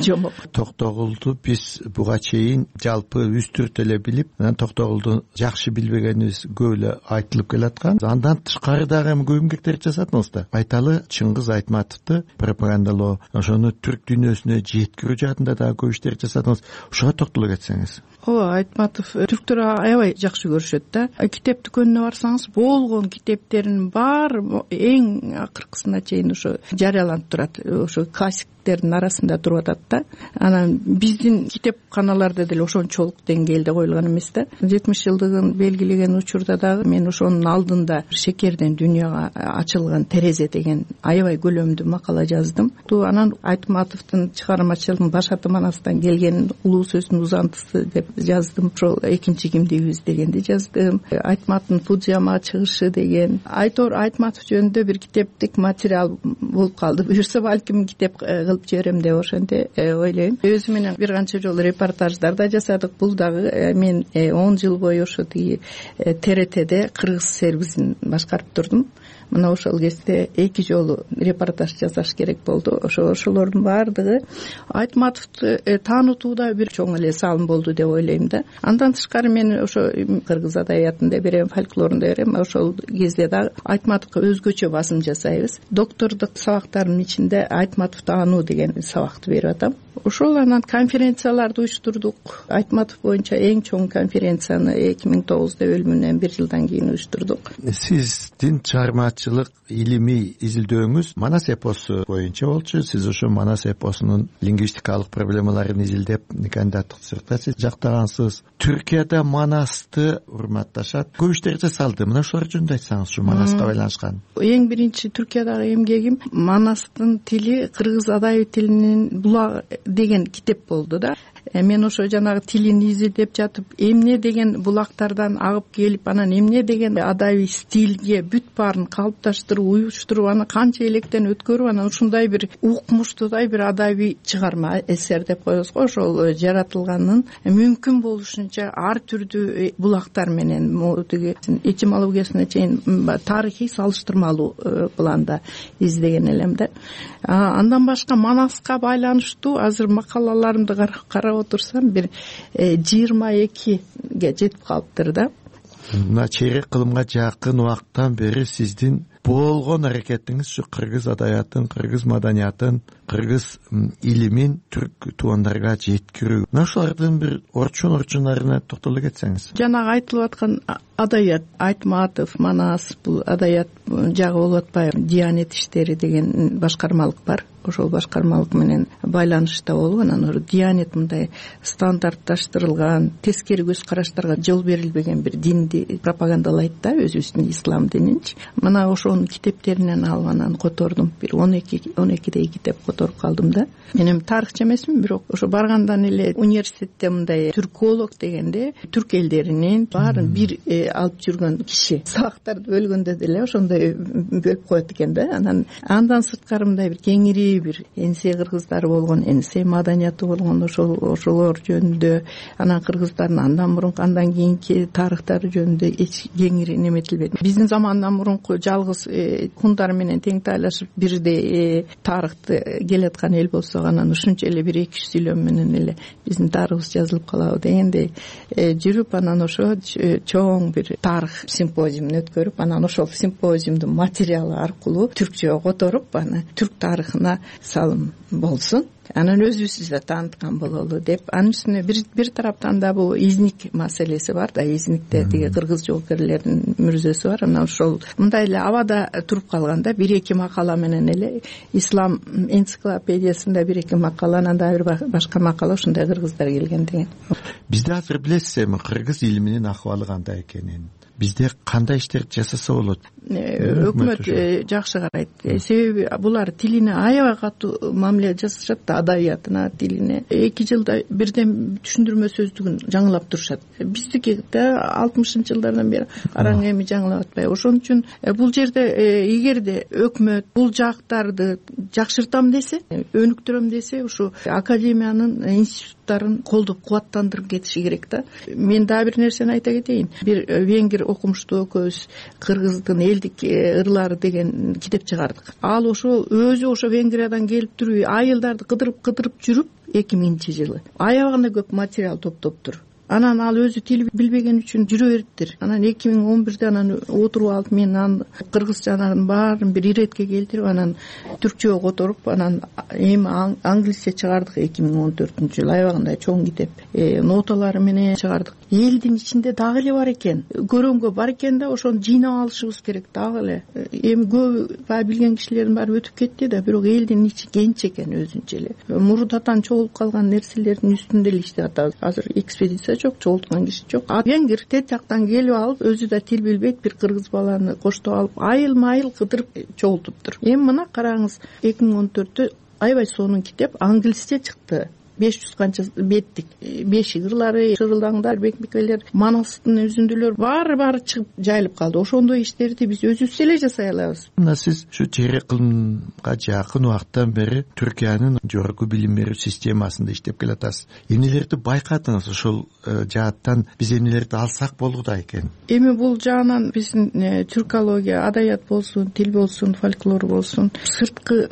жомок. Токтогулду биз буга чейин жалпы үстүрт эле билип, анан Токтогулду жакшы билбегенибиз көп эле айтылып келаткан. Андан тышкары дагы эми көп эмгектер жасадыңыз да. Айталы Чыңгыз Айтматовду пропагандалоо, ошону түрк дүйнөсүнө жеткирүү жаатында дагы көп иштер жасадыңыз. Ошого токтоло кетсеңиз. Ооба, Айтматов түрктөр аябай жакшы көрүшөт да. Китеп дүкөнүнө барсаңыз, болгон китептеринин баары эң акыркысына чейин ошо жарыяланып турат. Ошо классиктердин арасында туруп атат да. Анан биздин китепканаларда деле ошончолук деңгээлде коюлган эмес да. жетимиш жылдыгын белгилеген учурда дагы мен ошонун алдында Шекерден дүйнөгө ачылган терезе деген аябай көлөмдүү макала жаздым. Анан Айтматовдун чыгармачылыгын Башаты Манастан келген улуу сөздүн узантысы деп жаздым. Ошол экинчи кимдигибиз дегенди жаздым. Айтматовдун Фудзияма чыгышы деген. Айтор Айтматов жөнүндө бир китептик материал болуп калды. Буюрса балким китеп кылып жиберем деп ошентип ойлойм. Өзү менен бир канча жолу репортаждар да жасадык. Бул дагы мен он жыл бою ошо тиги Т Р Т'де кыргыз сервисин башкарып турдум. Мына ошол кезде эки жолу репортаж жасаш керек болду. Ошо ошолордун баардыгы Айтматовду таанытууда бир чоң эле салым болду деп ойлойм да. Андан тышкары мен ошо кыргыз адаbiятында берем, фольклорунда берем. Ошол кезде дагы Айтматовго өзгөчө басым жасайбыз. Доктордук сабактардын ичинде Айтматов таануу деген сабакты берип атам. Ошол анан конференцияларды уюштурдук. Айтматов боюнча эң чоң конференцияны эки миң тогузда өлүмүнөн бир жылдан кийин уюштурдук. Сиздин чыгармачылык илимий изилдөөңүз Манас эпосу боюнча болчу. Сиз ошо Манас эпосунун лингвистикалык проблемаларын изилдеп кандидаттык диссертация жактагансыз. Түркияда Манасты урматташат, көп иштер жасалды. Мына ошолор жөнүндө айтсаңыз, ушу Манаска байланышкан. Эң биринчи Түркиядагы эмгегим Манастын тили кыргыз адайы тилинин булагы деген китеп болду да. Мен ошо жанагы тилин изилдеп жатып, эмне деген булактардан агып келип, анан эмне деген адайы стилге бүт баарын калыпташтырып, уюштуруп, аны канча электен өткөрүп, анан ушундай бир укмуштуудай бир адайый чыгарма, эсер деп коебуз го, ошол жаратылганын мүмкүн болушунча ар түрдүү булактар менен тиги этимологиясына чейин тарыхый салыштырмалуу планда издеген элем да. Андан башка Манаска байланыштуу азыр макалаларымды карап отурсам бир жыйырма экиге жетип калыптыр да. Мына чейрек кылымга жакын убакыттан бери сиздин болгон аракетиңиз ушу кыргыз адаятын, кыргыз маданиятын, кыргыз илимин түрк туугандарга жеткирүү. Мына ошолордун бир орчун орчундарына токтоло кетсеңиз. Жанагы айтылып аткан адаят, Айтматов, Манас, бул адаят жагы болуп атпайбы? Диянет иштери деген башкармалык бар. Ошол башкармалык менен байланышта болуп, анан Диянет мындай стандартташтырылган, тескери көз караштарга жол берилбеген бир динди пропагандалайт да, өзүбүздүн ислам дининчи. Мына ошонун китептеринен алып анан котордум. Бир он эки он экидей китеп которуп калдым да. Мен эми тарыхчы эмесмин, бирок ошо баргандан эле университетте мындай түрколог дегенде түрк элдеринин баарын бир алып жүргөн киши. Сабактарды бөлгөндө деле ошондой бөлүп коет экен да. Анан андан сырткары мындай бир кеңири бир энсе кыргыздары болгон, энсе маданияты болгон, ошол ошолор жөнүндө, анан кыргыздардын андан мурунку, андан кийинки тарыхтары жөнүндө эч кеңири неметилбеди. Биздин замандан мурунку жалгыз баарыбыз хундар менен тең тайлашып бирдей тарыхты келаткан эл болсок анан ушунча эле бир эки жүз сүйлөм менен эле биздин тарыхыбыз жазылып калабы дегендей жүрүп анан ошо чоң бир тарых симпозиумун өткөрүп анан ошол симпозиумдун материалы аркылуу түркчөгө которуп аны түрк тарыхына салым болсун, анан өзүбүздү да тааныткан бололу деп. Анын үстүнө бир бир тараптан да бул изник маселеси бар да, изникте тиги кыргыз жоокерлердин мүрзөсү бар. Анан ошол мындай эле абада туруп калганда бир эки макала менен эле ислам энциклопедиясында бир эки макала, анан дагы бир башка макала ушундай кыргыздар келген деген. Бизде азыр билесиз эми кыргыз илиминин акыбалы кандай экенин, бизде кандай иштерди жасаса болот? Өкмөт жакшы карайт. Себеби булар тилине аябай катуу мамиле жасашат да, адабиятына, тилине. Эки жылда бирден түшүндүрмө сөздүгүн жаңылап турушат. Биздики да алтымышынчы жылдардан бери араң эми жаңылап атпайбы. Ошон үчүн бул жерде эгерде өкмөт бул жактарды жакшыртам десе, өнүктүрөм десе, ушу академиянын институттарын колдоп кубаттандырып кетиши керек да. Мен дагы бир нерсени айта кетейин. Бир венгер окумуштуу экөөбүз кыргыздын элдик ырлары деген китеп чыгардык. Ал ошол өзү ошо Венгриядан келип туруп айылдарды кыдырып кыдырып жүрүп эки миңинчи жылы аябаганда көп материал топтоптур. Анан ал өзү тил билбеген үчүн жүрө бериптир. Анан эки миң он бирде анан отуруп алып мен анын кыргызчанын баарын бир иретке келтирип анан түркчөгө которуп анан эми англисче чыгардык эки миң он төртүнчү жылы. Аябагандай чоң китеп. Ноталары менен чыгардык. Элдин ичинде дагы эле бар экен. Көрөнгө бар экен да, ошону жыйнап алышыбыз керек дагы эле. Эми көп баягы билген кишилердин баары өтүп кетти да, бирок элдин ичи кенч экен өзүнчө эле. Мурдатан чогулуп калган нерселердин үстүндө эле иштеп атабыз. Азыр экспедиция жок, чогулткан киши жок. А венгер тет жактан келип алып, өзү да тил билбейт, бир кыргыз баланы коштоп алып, айыл майыл кыдырып чогултуптур. Эми мына караңыз, эки миң он төрттө аябай сонун китеп англисче чыкты. беш жүз канча беттик. Бешик ырлары, шырылдаңдар, бекмекелер, Манастын үзүндүлөр баары баары чыгып жайылып калды. Ошондой иштерди биз өзүбүз эле жасай алабыз. Мына сиз ушу чек ыкымга жакын убакыттан бери Түркиянын жогорку билим берүү системасында иштеп келатасыз. Эмнелерди байкадыңыз ошол жааттан? Биз эмнелерди алсак болду экен? Эми бул жаанан биздин түркология, адабият болсун, тил болсун, фольклор болсун, сырткы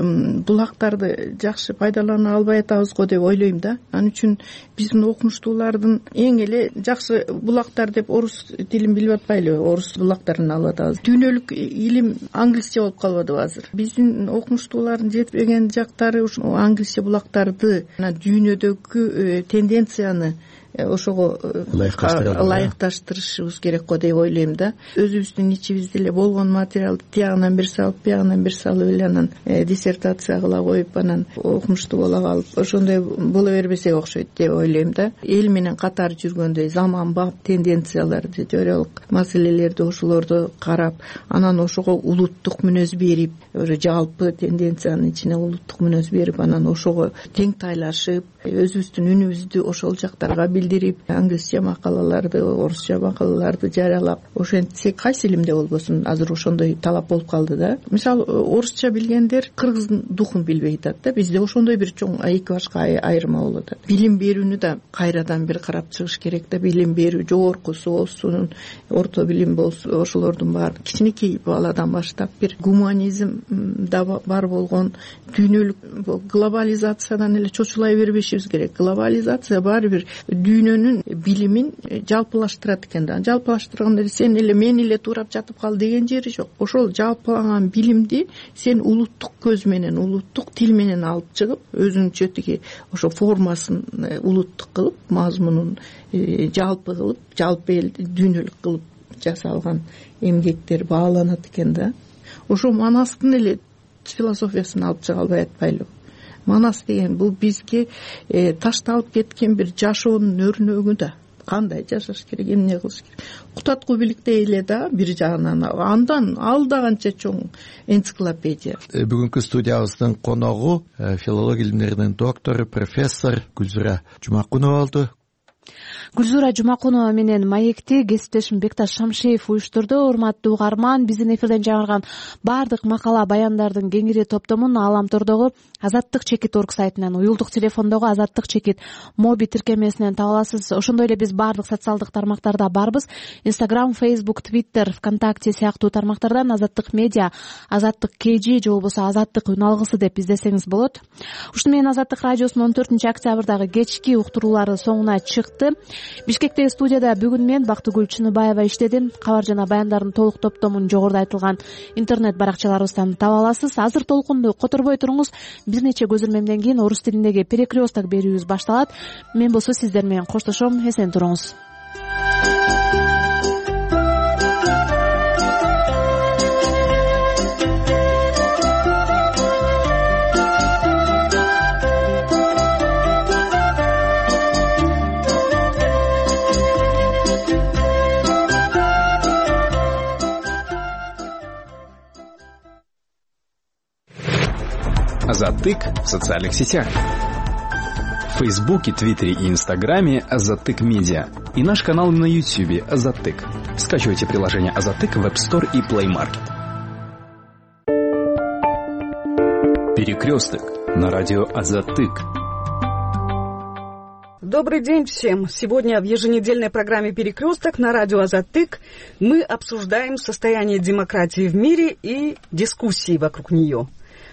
булактарды жакшы пайдалана албай атабыз го деп ойлойм да. Анын үчүн биздин окумуштуулардын эң эле жакшы булактар деп орус тилин билип атпайлыбы? Орус булактарын алып атабыз. Дүйнөлүк илим англисче болуп калбадыбы азыр? Биздин окумуштуулардын жетпеген жактары ушул англисче булактарды, дүйнөдөгү тенденцияны ошого ылайыкташтырышыбыз керек го деп ойлойм да. Өзүбүздүн ичибизде эле болгон материалды тиягынан бир салып, биягынан бир салып эле анан диссертация кыла коюп, анан окумуштуу боло калып, ошондой боло бербесек окшойт деп ойлойм да. Эл менен катар жүргөндөй заманбап тенденцияларды, теориялык маселелерди ошолорду карап, анан ошого улуттук мүнөз берип, жалпы тенденциянын ичине улуттук мүнөз берип, анан ошого тең тайлашып, өзүбүздүн үнүбүздү ошол жактарга билдирип, англисче макалаларды, орусча макалаларды жарыялап, ошентсек кайсы илимде болбосун, азыр ошондой талап болуп калды да. Мисалы, орусча билгендер кыргыздын духун билбей атат да. Бизде ошондой бир чоң эки башка айырма болуп атат. Билим берүүнү да кайрадан бир карап чыгыш керек да. Билим берүү жогоркусу болсун, орто билим болсун, ошолордун баары кичинекей баладан баштап бир гуманизм да бар болгон, дүйнөлүк глобализациядан эле чочулай бербешибиз керек. Глобализация баары бир дүйнөнүн билимин жалпылаштырат экен да. Жалпылаштырганда сен эле мен эле туурап жатып кал деген жери жок. Ошол жалпылаган билимди сен улуттук көз менен, улуттук тил менен алып чыгып, өзүнчө тиги ошо формасын улуттук кылып, мазмунун жалпы кылып, жалпы эл дүйнөлүк кылып жасалган эмгектер бааланат экен да. Ошо Манастын эле философиясын алып чыга албай атпайлыбы? Манас деген бул бизге э, ташталып кеткен бир жашоонун өрнөгү да. Кандай жашаш керек, эмне кылыш керек. Кутатку бийликте эле да бир жагынан, андан ал да канча чоң энциклопедия. Бүгүнкү студиябыздын коногу филология илимдеринин доктору, профессор Гүлзира Жумакунова болду. Гүлзура Жумакунова менен маекти кесиптешим Бекташ Шамшеев уюштурду. Урматтуу угарман, биздин эфирден жаңырган баардык макала баяндардын кеңири топтомун Ааламтордогу Азаттык чекит орг сайтынан, уюлдук телефондогу Азаттык чекит моби тиркемесинен таба аласыз. Ошондой эле биз баардык социалдык тармактарда барбыз. Instagram, Facebook, Twitter, ВКонтакте сыяктуу тармактардан Азаттык медиа, Азаттык kg же болбосо Азаттык үн алгысы деп издесеңиз болот. Ушуну менен Азаттык радиосунун он төртүнчү октябрдагы кечки уктуруулары соңуна чыкты. Бишкектеги студияда бүгүн мен Бактыгүл Чыныбаева иштедим. Кабар жана баяндардын толук топтомун жогоруда айтылган интернет баракчаларыбыздан таба аласыз. Азыр толкунду которбой туруңуз. Бир нече көзөрмөмдөн кийин орус тилиндеги перекресток берүүбүз башталат. Мен болсо сиздер менен коштошом. Эсен туруңуз. Азаттык в социальных сетях. В Фейсбуке, Твиттере и Инстаграме Азаттык Медиа. И наш канал на Ютьюбе Азаттык. Скачивайте приложение Азаттык в App Store и Play Market. Перекресток на радио Азаттык. Добрый день всем! Сегодня в еженедельной программе «Перекресток» на радио «Азаттык» мы обсуждаем состояние демократии в мире и дискуссии вокруг нее.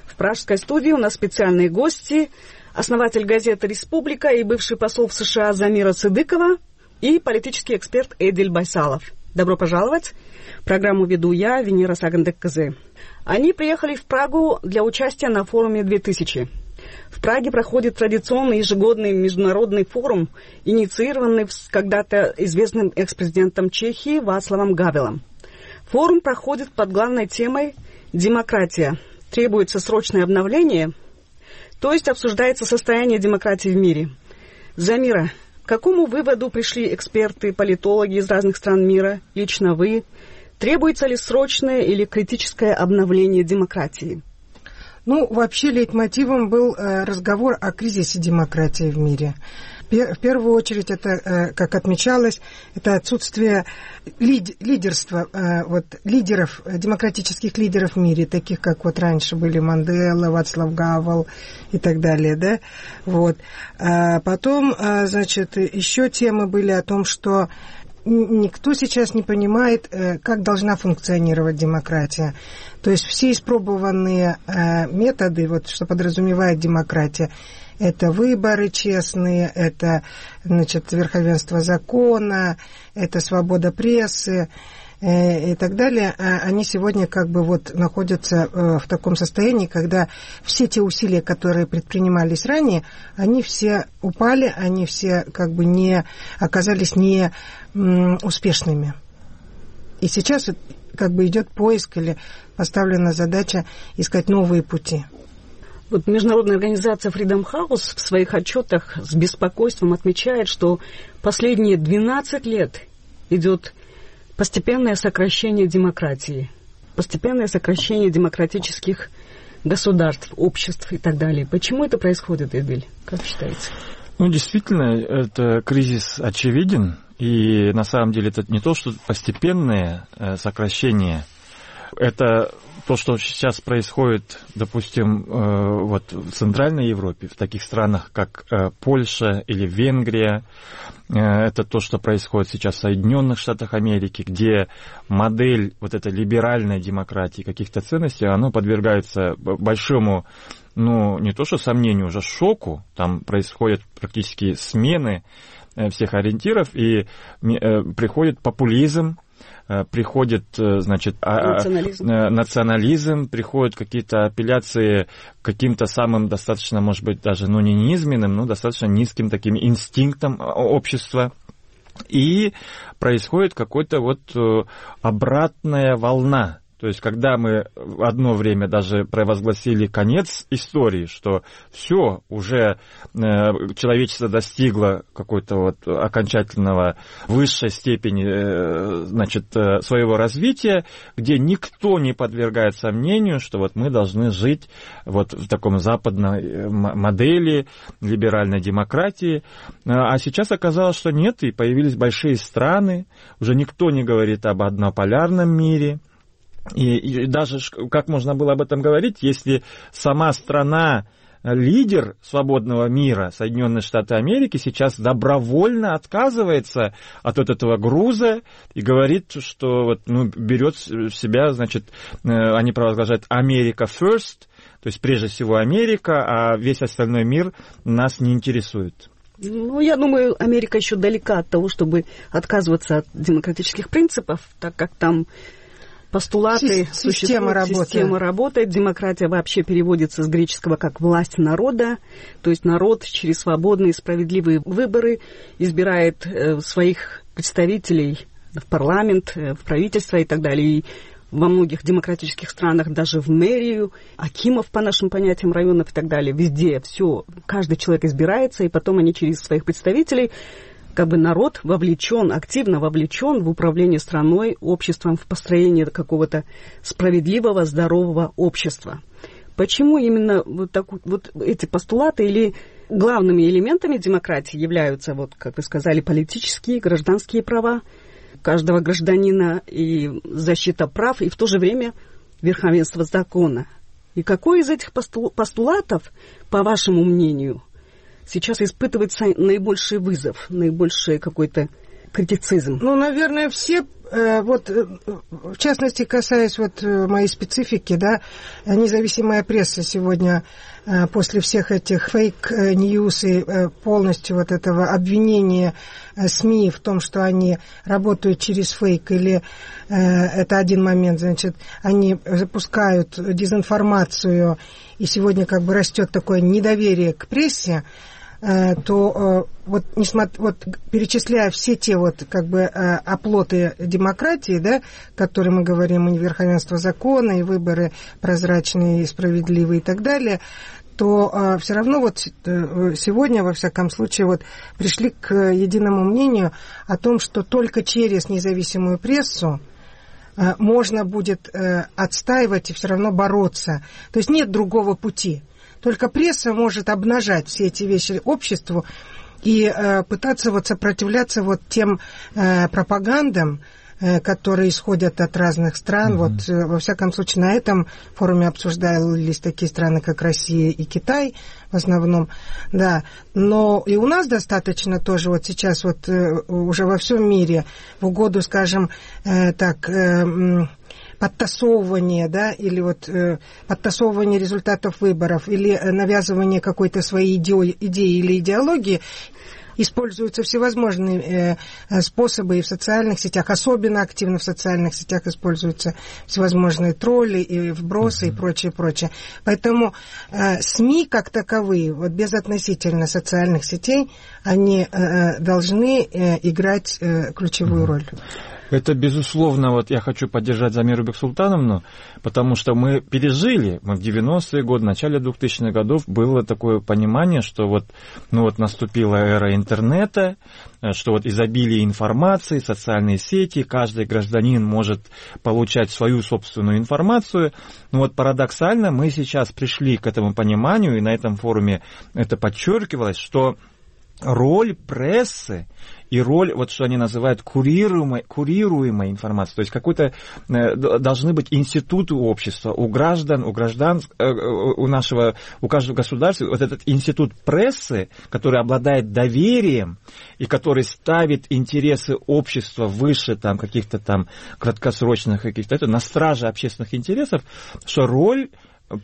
В пражской студии у нас специальные гости, основатель газеты «Республика» и бывший посол в США Замира Цыдыкова и политический эксперт Эдиль Байсалов. Добро пожаловать! Программу веду я, Венера Сагандек-Кызы. Они приехали в Прагу для участия на форуме две тысячи. В Праге проходит традиционный ежегодный международный форум, инициированный когда-то известным экс-президентом Чехии Václavом Гавелом. Форум проходит под главной темой «Демократия. Требуется срочное обновление», то есть обсуждается состояние демократии в мире. Замира, к какому выводу пришли эксперты, политологи из разных стран мира, лично вы? Требуется ли срочное или критическое обновление демократии? Ну, вообще лейтмотивом был э, разговор о кризисе демократии в мире. В первую очередь, это, как отмечалось, это отсутствие лид, лидерства, вот, лидеров, демократических лидеров в мире, таких, как вот раньше были Мандела, Václav Гавел и так далее, да, вот. А потом, значит, еще темы были о том, что никто сейчас не понимает, как должна функционировать демократия. То есть все испробованные методы, вот, что подразумевает демократия, это выборы честные, это, значит, верховенство закона, это свобода прессы э, и так далее. Они сегодня как бы вот находятся э, в таком состоянии, когда все те усилия, которые предпринимались ранее, они все упали, они все как бы не оказались не м, успешными. И сейчас вот, как бы идет поиск или поставлена задача искать новые пути. Вот международная организация Freedom House в своих отчетах с беспокойством отмечает, что последние двенадцать лет идет постепенное сокращение демократии, постепенное сокращение демократических государств, обществ и так далее. Почему это происходит, Эдиль? Как считаете? Ну, действительно, это кризис очевиден, и на самом деле это не то, что постепенное сокращение, это то, что сейчас происходит, допустим, вот в Центральной Европе, в таких странах, как Польша или Венгрия, это то, что происходит сейчас в Соединенных Штатах Америки, где модель вот этой либеральной демократии, каких-то ценностей, она подвергается большому, ну, не то что сомнению, уже шоку, там происходят практически смены всех ориентиров, и приходит популизм, приходит, значит, национализм. национализм, приходят какие-то апелляции к каким-то самым достаточно, может быть, даже, ну, не низменным, но достаточно низким таким инстинктам общества. И происходит какая-то вот обратная волна То есть, когда мы в одно время даже провозгласили конец истории, что все, уже э, человечество достигло какой-то вот окончательного высшей степени э, значит, э, своего развития, где никто не подвергает сомнению, что вот мы должны жить вот в таком западной модели либеральной демократии. А сейчас оказалось, что нет, и появились большие страны, уже никто не говорит об однополярном мире. И, и даже как можно было об этом говорить, если сама страна, лидер свободного мира, Соединенные Штаты Америки, сейчас добровольно отказывается от вот этого груза и говорит, что вот, ну, берет в себя, значит, они провозглашают «Америка first», то есть прежде всего Америка, а весь остальной мир нас не интересует. Ну, я думаю, Америка еще далека от того, чтобы отказываться от демократических принципов, так как там постулаты Система существуют, работает. Система работает, демократия вообще переводится с греческого как «власть народа», то есть народ через свободные и справедливые выборы избирает э, своих представителей в парламент, э, в правительство и так далее. И во многих демократических странах даже в мэрию, акимов, по нашим понятиям, районов и так далее, везде все, каждый человек избирается, и потом они через своих представителей, как бы народ вовлечен, активно вовлечен в управление страной, обществом, в построение какого-то справедливого, здорового общества. Почему именно вот, так, вот эти постулаты или главными элементами демократии являются, вот, как вы сказали, политические, гражданские права каждого гражданина и защита прав, и в то же время верховенство закона? И какой из этих постулатов, по вашему мнению, сейчас испытывается наибольший вызов, наибольший какой-то критицизм? Ну, наверное, все, вот, в частности, касаясь вот моей специфики, да, независимая пресса сегодня после всех этих фейк-ньюс и полностью вот этого обвинения СМИ в том, что они работают через фейк, или это один момент, значит, они запускают дезинформацию, и сегодня как бы растет такое недоверие к прессе, то вот, несмотря, вот перечисляя все те вот как бы оплоты демократии, да, которые мы говорим, и верховенство закона, и выборы прозрачные, и справедливые и так далее, то э, все равно вот сегодня, во всяком случае, вот пришли к единому мнению о том, что только через независимую прессу э, можно будет э, отстаивать и все равно бороться. То есть нет другого пути. Только пресса может обнажать все эти вещи обществу и э, пытаться вот сопротивляться вот тем э, пропагандам, э, которые исходят от разных стран. Mm-hmm. Вот, э, во всяком случае, на этом форуме обсуждались такие страны, как Россия и Китай в основном. Да. Но и у нас достаточно тоже вот сейчас вот э, уже во всем мире в угоду, скажем, э, так... Э, подтасовывание, да, или вот э, подтасовывание результатов выборов, или навязывание какой-то своей идеи, идеи или идеологии, используются всевозможные э, способы и в социальных сетях, особенно активно в социальных сетях используются всевозможные тролли и вбросы mm-hmm. и прочее, прочее. Поэтому э, СМИ как таковые, вот безотносительно социальных сетей, они э, должны э, играть э, ключевую mm-hmm. роль. Это, безусловно, вот я хочу поддержать Замиру Бексултановну, потому что мы пережили, мы в девяностые годы, в начале двухтысячных годов было такое понимание, что вот, ну вот наступила эра интернета, что вот изобилие информации, социальные сети, каждый гражданин может получать свою собственную информацию. Но вот парадоксально мы сейчас пришли к этому пониманию, и на этом форуме это подчеркивалось, что роль прессы и роль, вот что они называют курируемой, курируемой информации, то есть какой-то э, должны быть институты общества, у граждан, у граждан, э, у нашего, у каждого государства, вот этот институт прессы, который обладает доверием и который ставит интересы общества выше там каких-то там краткосрочных каких-то, это на страже общественных интересов, что роль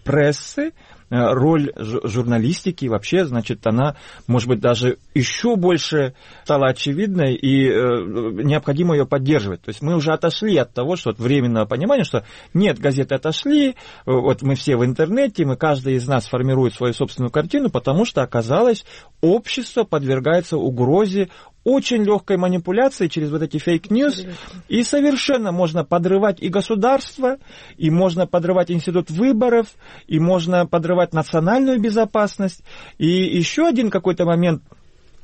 прессы, роль журналистики вообще, значит, она, может быть, даже еще больше стала очевидной, и э, необходимо ее поддерживать. То есть мы уже отошли от того, что от временного понимания, что нет, газеты отошли, вот мы все в интернете, мы, каждый из нас формирует свою собственную картину, потому что, оказалось, общество подвергается угрозе очень легкой манипуляцией через вот эти фейк-ньюс, и совершенно можно подрывать и государство, и можно подрывать институт выборов, и можно подрывать национальную безопасность. И еще один какой-то момент,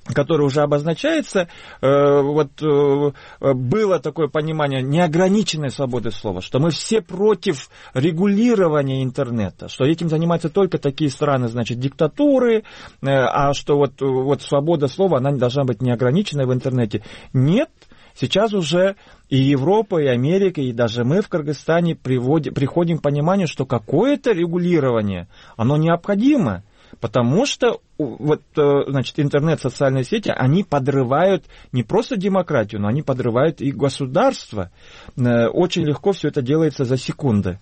который уже обозначается, э, вот э, было такое понимание неограниченной свободы слова, что мы все против регулирования интернета, что этим занимаются только такие страны, значит, диктатуры, э, а что вот, вот свобода слова, она не должна быть неограниченной в интернете. Нет, сейчас уже и Европа, и Америка, и даже мы в Кыргызстане приводим, приходим к пониманию, что какое-то регулирование, оно необходимо. Потому что вот, значит, интернет, социальные сети, они подрывают не просто демократию, но они подрывают и государство. Очень легко все это делается за секунды.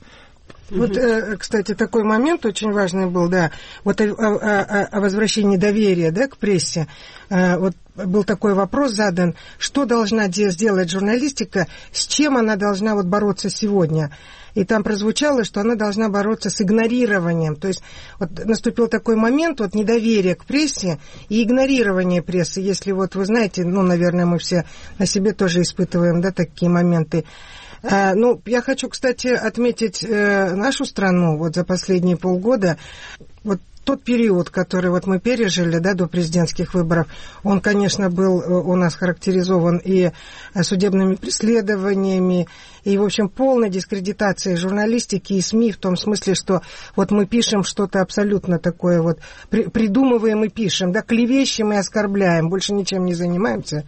Вот, кстати, такой момент очень важный был, да, вот о, о, о возвращении доверия, да, к прессе. Вот был такой вопрос задан, что должна сделать журналистика, с чем она должна вот бороться сегодня. И там прозвучало, что она должна бороться с игнорированием. То есть вот наступил такой момент вот недоверия к прессе и игнорирования прессы. Если вот вы знаете, ну, наверное, мы все на себе тоже испытываем, да, такие моменты. А, ну, я хочу, кстати, отметить э, нашу страну вот за последние полгода. Вот тот период, который вот мы пережили, да, до президентских выборов, он, конечно, был у нас характеризован и судебными преследованиями, и, в общем, полной дискредитацией журналистики и СМИ, в том смысле, что вот мы пишем что-то абсолютно такое вот, при, придумываем и пишем, да, клевещем и оскорбляем, больше ничем не занимаемся.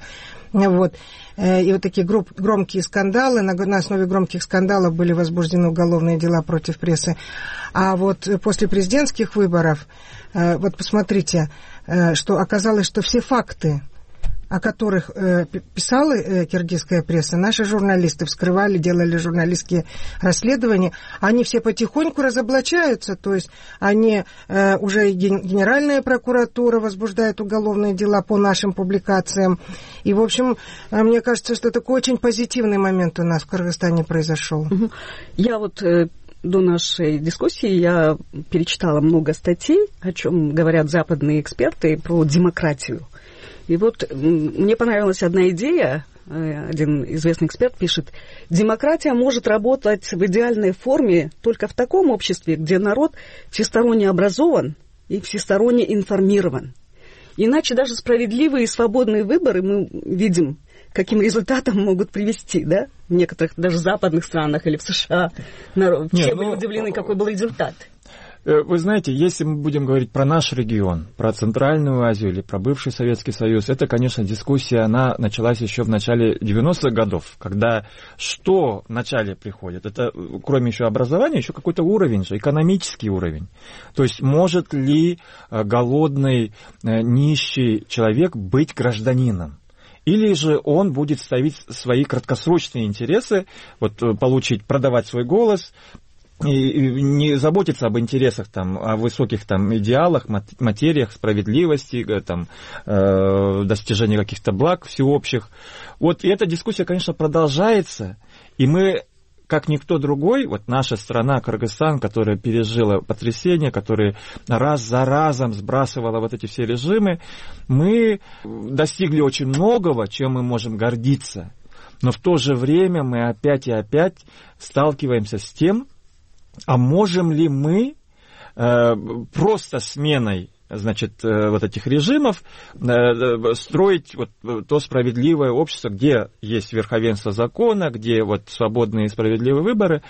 Вот. И вот такие громкие скандалы, на основе громких скандалов были возбуждены уголовные дела против прессы. А вот после президентских выборов, вот посмотрите, что оказалось, что все факты, о которых э, писала э, киргизская пресса, наши журналисты вскрывали, делали журналистские расследования, они все потихоньку разоблачаются, то есть они э, уже и Генеральная прокуратура возбуждает уголовные дела по нашим публикациям. И, в общем, э, мне кажется, что такой очень позитивный момент у нас в Кыргызстане произошел. Я вот... Э... До нашей дискуссии я перечитала много статей, о чем говорят западные эксперты, про демократию. И вот мне понравилась одна идея, один известный эксперт пишет: демократия может работать в идеальной форме только в таком обществе, где народ всесторонне образован и всесторонне информирован. Иначе даже справедливые и свободные выборы, мы видим, каким результатом могут привести, да? В некоторых даже западных странах или в США. Народ, все Нет, были ну, удивлены, какой был результат. Вы знаете, если мы будем говорить про наш регион, про Центральную Азию или про бывший Советский Союз, это, конечно, дискуссия, она началась еще в начале девяностых годов, когда что вначале приходит? Это, кроме еще образования, еще какой-то уровень же, экономический уровень. То есть, может ли голодный, нищий человек быть гражданином? Или же он будет ставить свои краткосрочные интересы, вот, получить, продавать свой голос, и не заботиться об интересах, там, о высоких там, идеалах, материях, справедливости, там, э, достижении каких-то благ всеобщих. Вот, и эта дискуссия, конечно, продолжается, и мы, как никто другой, вот наша страна, Кыргызстан, которая пережила потрясение, которая раз за разом сбрасывала вот эти все режимы, мы достигли очень многого, чем мы можем гордиться. Но в то же время мы опять и опять сталкиваемся с тем, а можем ли мы э, просто сменой, значит, э, вот этих режимов э, строить вот то справедливое общество, где есть верховенство закона, где вот свободные и справедливые выборы?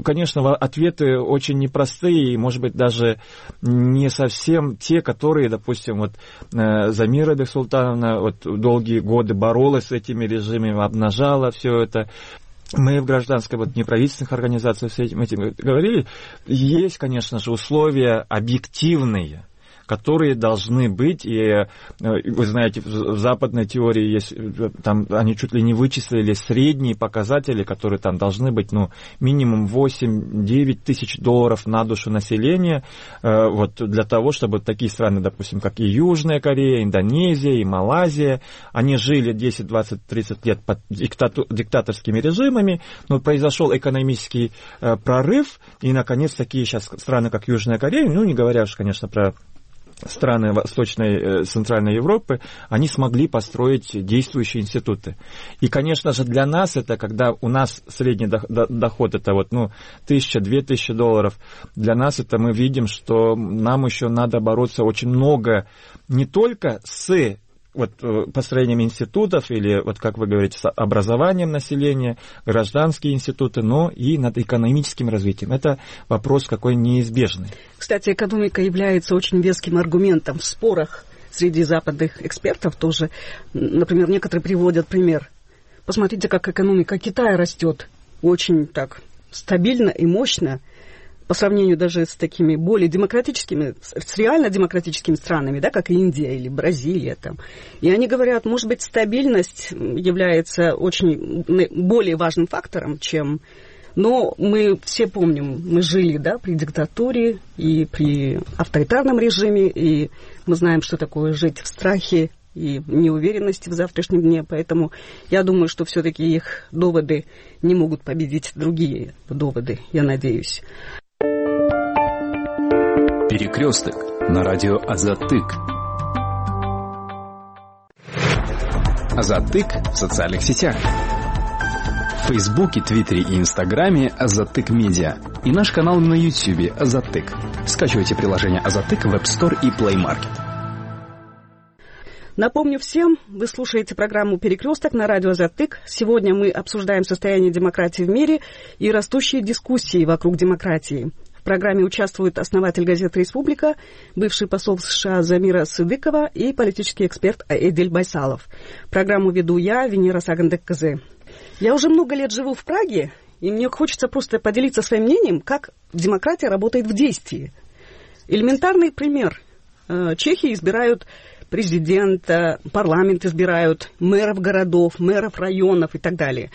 Конечно, ответы очень непростые и, может быть, даже не совсем те, которые, допустим, вот э, Замира Бексултановна вот долгие годы боролась с этими режимами, обнажала все это. Мы в гражданской, вот, неправительственных организациях с этим, этим говорили. Есть, конечно же, условия объективные, которые должны быть, и вы знаете, в западной теории есть, там они чуть ли не вычислили средние показатели, которые там должны быть, ну, минимум восемь-девять тысяч долларов на душу населения, вот, для того, чтобы такие страны, допустим, как и Южная Корея, Индонезия, и Малайзия, они жили десять, двадцать, тридцать лет под диктату- диктаторскими режимами, но произошел экономический прорыв, и, наконец, такие сейчас страны, как Южная Корея, ну, не говоря уж, конечно, про страны Восточной, Центральной Европы, они смогли построить действующие институты. И, конечно же, для нас это, когда у нас средний доход, это вот, ну, тысяча-две тысячи долларов, для нас это мы видим, что нам еще надо бороться очень много не только с вот построением институтов или, вот как вы говорите, с образованием населения, гражданские институты, но и над экономическим развитием. Это вопрос какой неизбежный. Кстати, экономика является очень веским аргументом в спорах среди западных экспертов тоже. Например, некоторые приводят пример. Посмотрите, как экономика Китая растет очень так стабильно и мощно, по сравнению даже с такими более демократическими, с реально демократическими странами, да, как Индия или Бразилия. Там. И они говорят, может быть, стабильность является очень более важным фактором, чем... Но мы все помним, мы жили, да, при диктатуре и при авторитарном режиме, и мы знаем, что такое жить в страхе и неуверенности в завтрашнем дне. Поэтому я думаю, что все-таки их доводы не могут победить другие доводы, я надеюсь. Перекресток на радио Азаттык. Азаттык в социальных сетях. В Фейсбуке, Твиттере и Инстаграме Азаттык Медиа. И наш канал на Ютьюбе Азаттык. Скачивайте приложение Азаттык в App Store и Play Market. Напомню всем, вы слушаете программу «Перекресток» на радио Азаттык. Сегодня мы обсуждаем состояние демократии в мире и растущие дискуссии вокруг демократии. В программе участвует основатель газеты «Республика», бывший посол США Замира Сыдыкова и политический эксперт Эдиль Байсалов. Программу веду я, Венера Сагандек-Кызы. Я уже много лет живу в Праге, и мне хочется просто поделиться своим мнением, как демократия работает в действии. Элементарный пример. Чехи избирают президента, парламент избирают, мэров городов, мэров районов и так далее.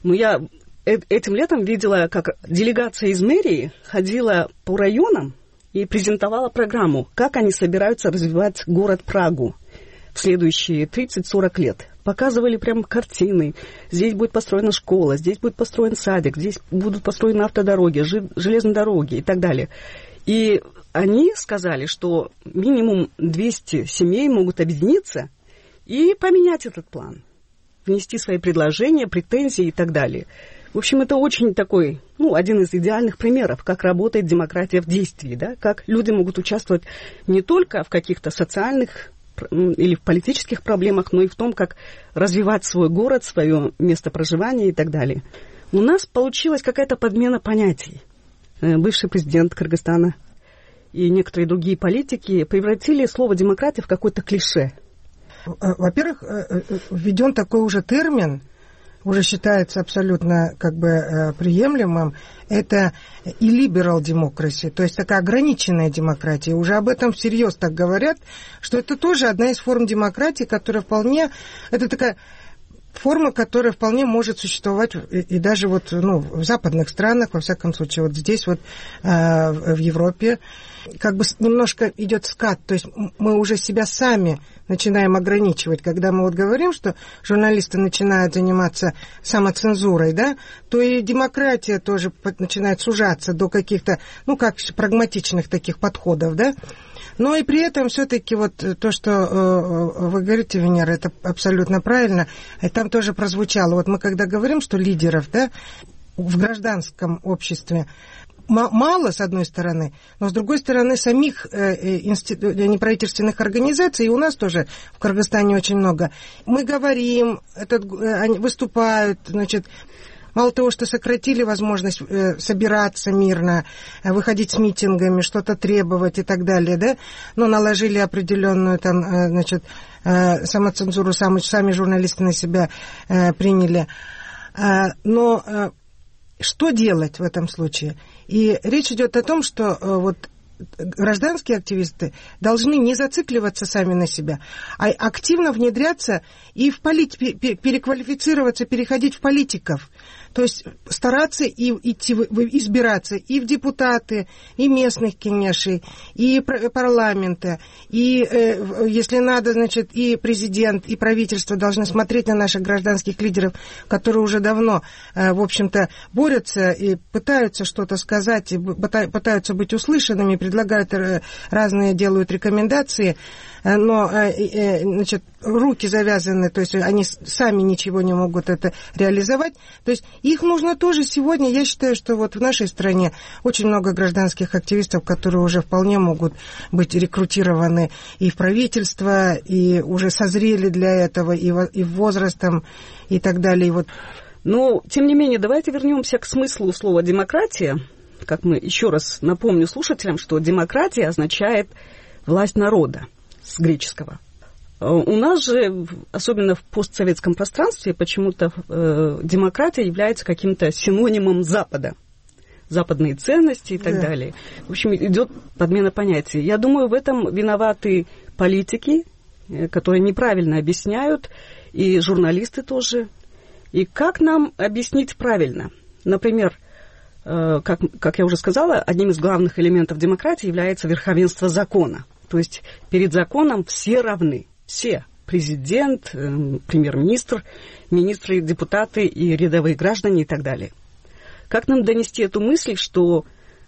Но я... Этим летом видела, как делегация из мэрии ходила по районам и презентовала программу, как они собираются развивать город Прагу в следующие тридцать-сорок лет. Показывали прям картины. Здесь будет построена школа, здесь будет построен садик, здесь будут построены автодороги, железные дороги и так далее. И они сказали, что минимум двести семей могут объединиться и поменять этот план, внести свои предложения, претензии и так далее. В общем, это очень такой, ну, один из идеальных примеров, как работает демократия в действии, да, как люди могут участвовать не только в каких-то социальных или в политических проблемах, но и в том, как развивать свой город, свое место проживания и так далее. У нас получилась какая-то подмена понятий. Бывший президент Кыргызстана и некоторые другие политики превратили слово «демократия» в какое-то клише. Во-первых, введен такой уже термин, уже считается абсолютно как бы приемлемым, это illiberal democracy, то есть такая ограниченная демократия. Уже об этом всерьез так говорят, что это тоже одна из форм демократии, которая вполне, это такая форма, которая вполне может существовать и, и даже вот, ну, в западных странах, во всяком случае, вот здесь вот э, в Европе, как бы немножко идет скат, то есть мы уже себя сами начинаем ограничивать. Когда мы вот говорим, что журналисты начинают заниматься самоцензурой, да, то и демократия тоже начинает сужаться до каких-то, ну, как прагматичных таких подходов, да. Но и при этом все-таки вот то, что э, вы говорите, Венера, это абсолютно правильно, и там тоже прозвучало. Вот мы когда говорим, что лидеров, да, в гражданском обществе мало, с одной стороны, но с другой стороны самих э, институ... неправительственных организаций, и у нас тоже в Кыргызстане очень много. Мы говорим, этот, они выступают, значит, мало того, что сократили возможность э, собираться мирно, э, выходить с митингами, что-то требовать и так далее, да, но наложили определенную там, э, значит, э, самоцензуру, сами, сами журналисты на себя э, приняли. Э, но э, что делать в этом случае? И речь идет о том, что э, вот гражданские активисты должны не зацикливаться сами на себя, а активно внедряться и в полит... переквалифицироваться, переходить в политиков. То есть стараться и идти, избираться и в депутаты, и местных кеңешей, и парламента, и, э, если надо, значит, и президент, и правительство должны смотреть на наших гражданских лидеров, которые уже давно, э, в общем-то, борются и пытаются что-то сказать, и пытаются быть услышанными, предлагают разные, делают рекомендации, но, значит, руки завязаны, то есть они сами ничего не могут это реализовать. То есть их нужно тоже сегодня, я считаю, что вот в нашей стране очень много гражданских активистов, которые уже вполне могут быть рекрутированы и в правительство, и уже созрели для этого, и, и возрастом, и так далее. И вот. Но, тем не менее, давайте вернемся к смыслу слова «демократия». Как мы еще раз напомню слушателям, что демократия означает власть народа с греческого. У нас же, особенно в постсоветском пространстве, почему-то э, демократия является каким-то синонимом Запада. Западные ценности и так да. далее. В общем, идет подмена понятий. Я думаю, в этом виноваты политики, которые неправильно объясняют, и журналисты тоже. И как нам объяснить правильно? Например, э, как, как я уже сказала, одним из главных элементов демократии является верховенство закона. То есть перед законом все равны. Все. Президент, э, премьер-министр, министры, депутаты и рядовые граждане и так далее. Как нам донести эту мысль, что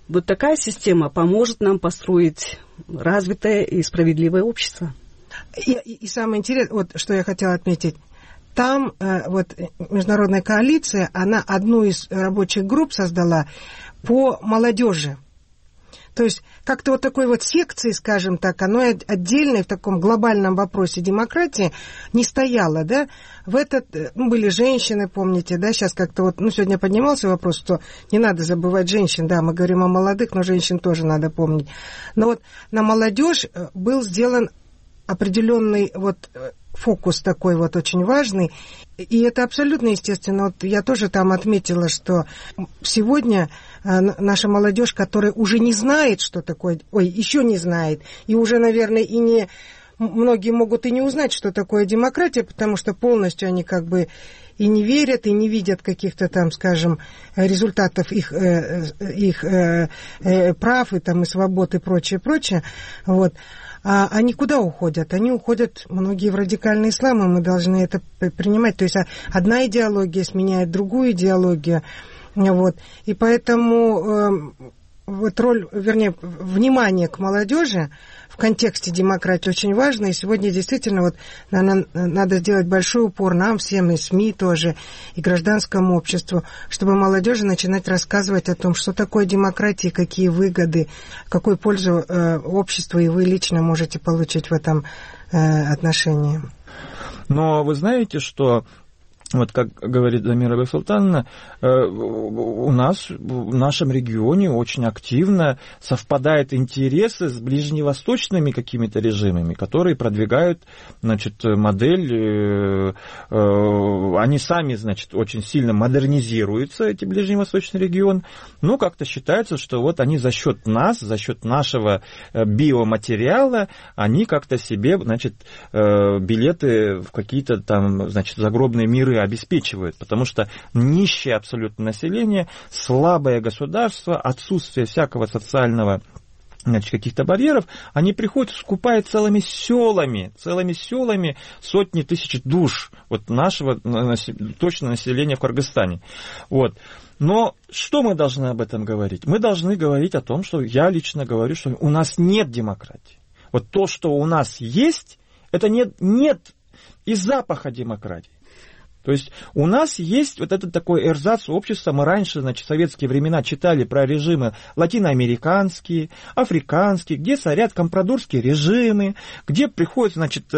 вот такая система поможет нам построить развитое и справедливое общество? И, и, и самое интересное, вот что я хотела отметить, там э, вот международная коалиция, она одну из рабочих групп создала по молодежи. То есть как-то вот такой вот секции, скажем так, оно отдельной в таком глобальном вопросе демократии не стояло, да. В этот, ну, были женщины, помните, да, сейчас как-то вот, ну, сегодня поднимался вопрос, что не надо забывать женщин, да, мы говорим о молодых, но женщин тоже надо помнить. Но вот на молодежь был сделан определенный вот фокус такой вот очень важный, и это абсолютно естественно. Вот я тоже там отметила, что сегодня наша молодежь, которая уже не знает, что такое, ой, еще не знает, и уже, наверное, и не, многие могут и не узнать, что такое демократия, потому что полностью они как бы и не верят, и не видят каких-то там, скажем, результатов их, их прав и там и свобод и прочее, прочее, вот. А они куда уходят? Они уходят, многие, в радикальный ислам, и мы должны это принимать. То есть одна идеология сменяет другую идеологию. Вот. И поэтому э, вот роль, вернее, внимание к молодежи в контексте демократии очень важно. И сегодня действительно вот надо, надо сделать большой упор нам всем, и СМИ тоже, и гражданскому обществу, чтобы молодежи начинать рассказывать о том, что такое демократия, какие выгоды, какую пользу э, обществу и вы лично можете получить в этом э, отношении. Но вы знаете, что вот как говорит Замира Бексултановна, у нас в нашем регионе очень активно совпадают интересы с ближневосточными какими-то режимами, которые продвигают, значит, модель, они сами, значит, очень сильно модернизируются, эти ближневосточный регион, но как-то считается, что вот они за счет нас, за счет нашего биоматериала, они как-то себе, значит, билеты в какие-то там, значит, загробные миры обеспечивают, потому что нищее абсолютно население, слабое государство, отсутствие всякого социального, значит, каких-то барьеров, они приходят, скупают целыми селами, целыми селами сотни тысяч душ вот нашего точно населения в Кыргызстане. Вот. Но что мы должны об этом говорить? Мы должны говорить о том, что я лично говорю, что у нас нет демократии. Вот то, что у нас есть, это нет, нет и запаха демократии. То есть у нас есть вот этот такой эрзац общества. Мы раньше, значит, в советские времена читали про режимы латиноамериканские, африканские, где царят компрадорские режимы, где приходят, значит,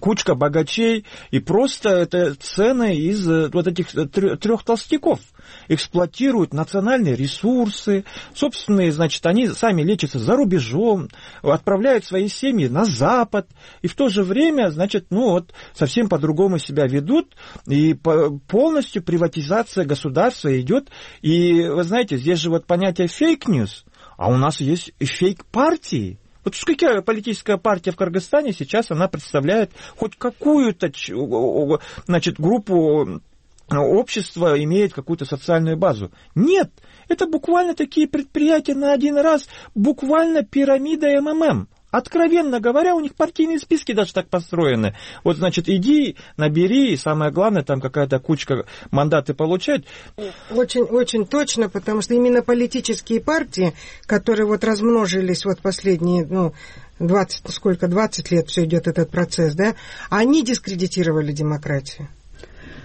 кучка богачей, и просто это цены из вот этих трех толстяков. Эксплуатируют национальные ресурсы, собственные, значит, они сами лечатся за рубежом, отправляют свои семьи на Запад, и в то же время, значит, ну вот, совсем по-другому себя ведут, и полностью приватизация государства идет. И, вы знаете, здесь же вот понятие фейк-ньюс, а у нас есть и фейк-партии. Вот какая политическая партия в Кыргызстане сейчас, она представляет хоть какую-то, значит, группу общество имеет какую-то социальную базу. Нет, это буквально такие предприятия на один раз, буквально пирамида эм эм эм. Откровенно говоря, у них партийные списки даже так построены. Вот, значит, иди, набери, и самое главное, там какая-то кучка мандаты получать. Очень, очень точно, потому что именно политические партии, которые вот размножились вот последние, ну, двадцать, сколько, двадцать лет все идет этот процесс, да, они дискредитировали демократию.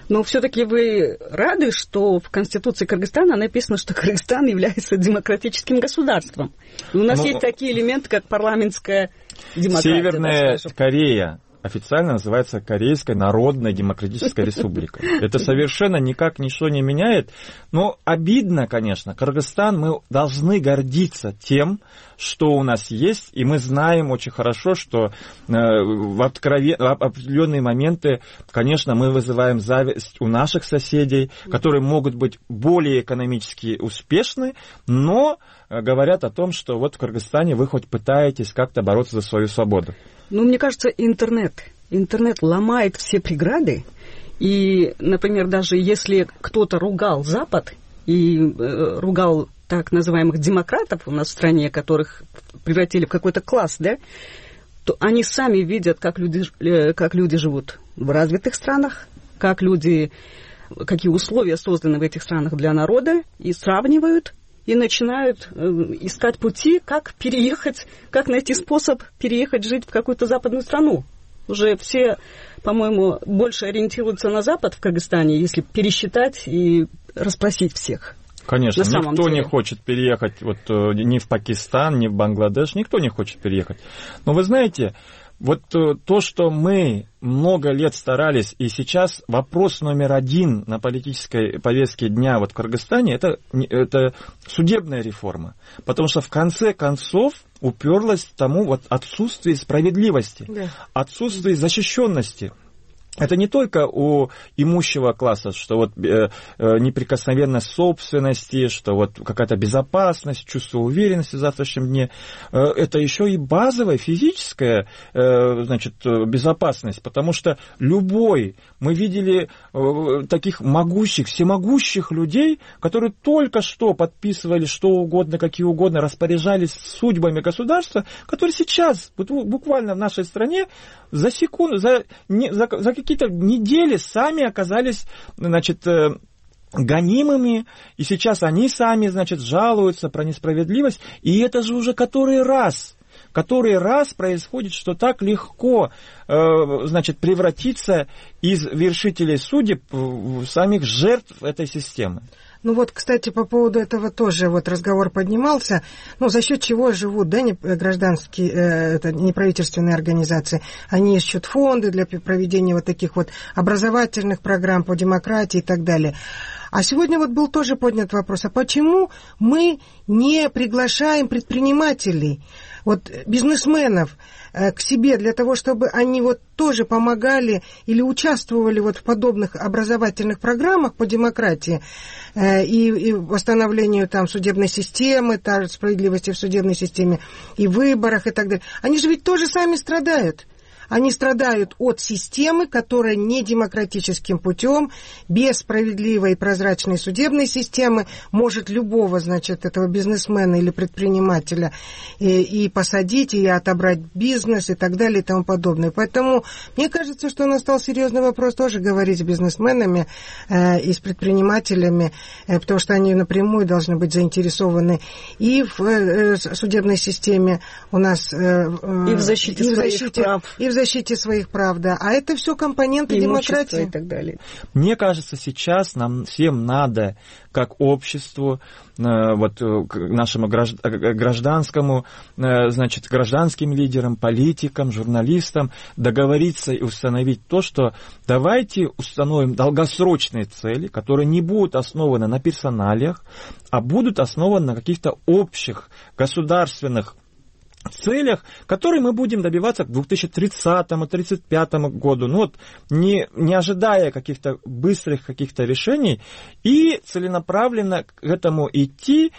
Но все-таки вы рады, что в Конституции Кыргызстана написано, что Кыргызстан является демократическим государством. И у нас ну, есть такие элементы, как парламентская демократия. Северная Корея официально называется Корейская Народная Демократическая Республика. Это совершенно никак ничего не меняет. Но обидно, конечно. Кыргызстан, мы должны гордиться тем, что у нас есть, и мы знаем очень хорошо, что э, в, откровен... в определенные моменты, конечно, мы вызываем зависть у наших соседей, которые могут быть более экономически успешны, но э, говорят о том, что вот в Кыргызстане вы хоть пытаетесь как-то бороться за свою свободу. Ну, мне кажется, интернет. Интернет ломает все преграды. И, например, даже если кто-то ругал Запад и э, ругал так называемых демократов у нас в стране, которых превратили в какой-то класс, да, то они сами видят, как люди, э, как люди живут в развитых странах, как люди, какие условия созданы в этих странах для народа, и сравнивают, и начинают э, искать пути, как переехать, как найти способ переехать жить в какую-то западную страну. Уже все, по-моему, больше ориентируются на Запад в Кыргызстане, если пересчитать и расспросить всех. Конечно, никто не хочет переехать вот, ни в Пакистан, ни в Бангладеш, никто не хочет переехать. Но вы знаете, вот то, что мы много лет старались, и сейчас вопрос номер один на политической повестке дня вот в Кыргызстане, это, это судебная реформа. Потому что в конце концов уперлась к тому вот отсутствие справедливости, да. Отсутствие защищенности. Это не только у имущего класса, что вот э, э, неприкосновенность собственности, что вот какая-то безопасность, чувство уверенности в завтрашнем дне. Э, это еще и базовая физическая э, значит, безопасность, потому что любой, мы видели э, таких могущих, всемогущих людей, которые только что подписывали что угодно, какие угодно, распоряжались судьбами государства, которые сейчас, вот, буквально в нашей стране, за секунду, за, не, за, за какие-то недели сами оказались, значит, гонимыми, и сейчас они сами, значит, жалуются про несправедливость, и это же уже который раз, который раз происходит, что так легко, значит, превратиться из вершителей судеб в самих жертв этой системы. Ну вот, кстати, по поводу этого тоже вот разговор поднимался. Ну, за счет чего живут, да, не, гражданские, э, это неправительственные организации? Они ищут фонды для проведения вот таких вот образовательных программ по демократии и так далее. А сегодня вот был тоже поднят вопрос, а почему мы не приглашаем предпринимателей, вот бизнесменов э, к себе для того, чтобы они вот тоже помогали или участвовали вот в подобных образовательных программах по демократии э, и, и восстановлению там судебной системы, та, справедливости в судебной системе, и выборах и так далее. Они же ведь тоже сами страдают. Они страдают от системы, которая не демократическим путем, без справедливой и прозрачной судебной системы может любого, значит, этого бизнесмена или предпринимателя и, и посадить, и отобрать бизнес и так далее и тому подобное. Поэтому мне кажется, что настал серьезный вопрос тоже говорить с бизнесменами э, и с предпринимателями, э, потому что они напрямую должны быть заинтересованы и в э, судебной системе у нас, э, э, и в защите и в своих защите, прав. И в защите своих прав, да. А это все компоненты демократии и так далее. Мне кажется, сейчас нам всем надо, как обществу, вот нашему гражданскому, значит, гражданским лидерам, политикам, журналистам договориться и установить то, что давайте установим долгосрочные цели, которые не будут основаны на персоналиях, а будут основаны на каких-то общих государственных целях, которые мы будем добиваться к две тысячи тридцатому — две тысячи тридцать пятому году, ну вот, не, не ожидая каких-то быстрых каких-то решений, и целенаправленно к этому идти,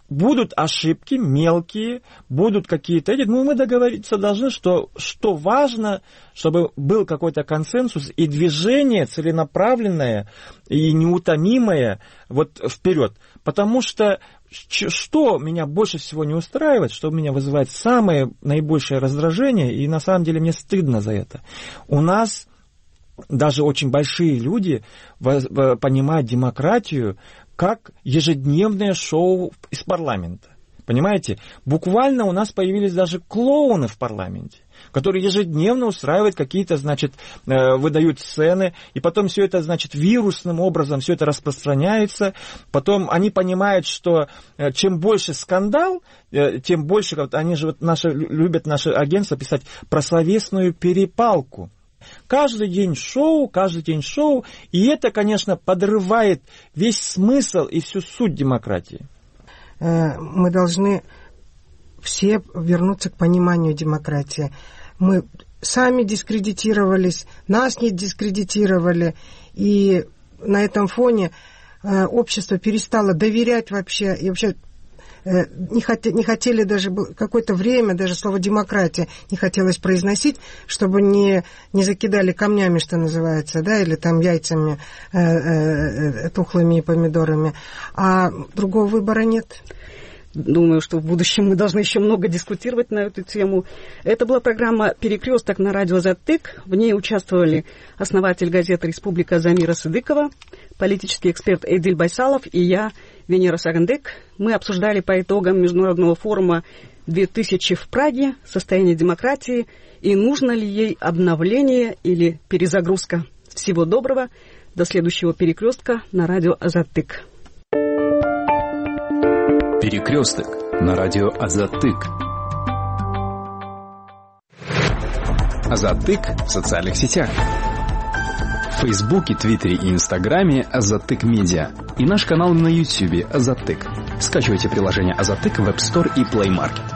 Будут ошибки мелкие, будут какие-то эти, но мы договориться должны, что, что важно, чтобы был какой-то консенсус и движение целенаправленное и неутомимое вот вперед. Потому что что меня больше всего не устраивает, что меня вызывает самое наибольшее раздражение, и на самом деле мне стыдно за это. У нас даже очень большие люди понимают демократию как ежедневное шоу из парламента. Понимаете? Буквально у нас появились даже клоуны в парламенте, которые ежедневно устраивают какие-то, значит, выдают сцены, и потом все это, значит, вирусным образом все это распространяется. Потом они понимают, что чем больше скандал, тем больше, они же вот наши, любят наше агентство писать про словесную перепалку. Каждый день шоу, каждый день шоу, и это, конечно, подрывает весь смысл и всю суть демократии. Мы должны все вернуться к пониманию демократии. Мы сами дискредитировались, нас не дискредитировали, и на этом фоне общество перестало доверять вообще, и вообще не хотели, не хотели даже какое-то время, даже слово «демократия» не хотелось произносить, чтобы не, не закидали камнями, что называется, да, или там яйцами э, э, тухлыми и помидорами. А другого выбора нет. Думаю, что в будущем мы должны еще много дискутировать на эту тему. Это была программа «Перекресток» на радио «Азаттык». В ней участвовали основатель газеты «Республика» Замира Сыдыкова, политический эксперт Эдиль Байсалов и я, Венера Сагандек. Мы обсуждали по итогам Международного форума две тысячи в Праге состояние демократии и нужно ли ей обновление или перезагрузка. Всего доброго. До следующего «Перекрестка» на радио «Азаттык». Перекресток на радио Азаттык. Азаттык в социальных сетях. В Фейсбуке, Твиттере и Инстаграме Азаттык Медиа. И наш канал на Ютьюбе Азаттык. Скачивайте приложение Азаттык в App Store и Play Market.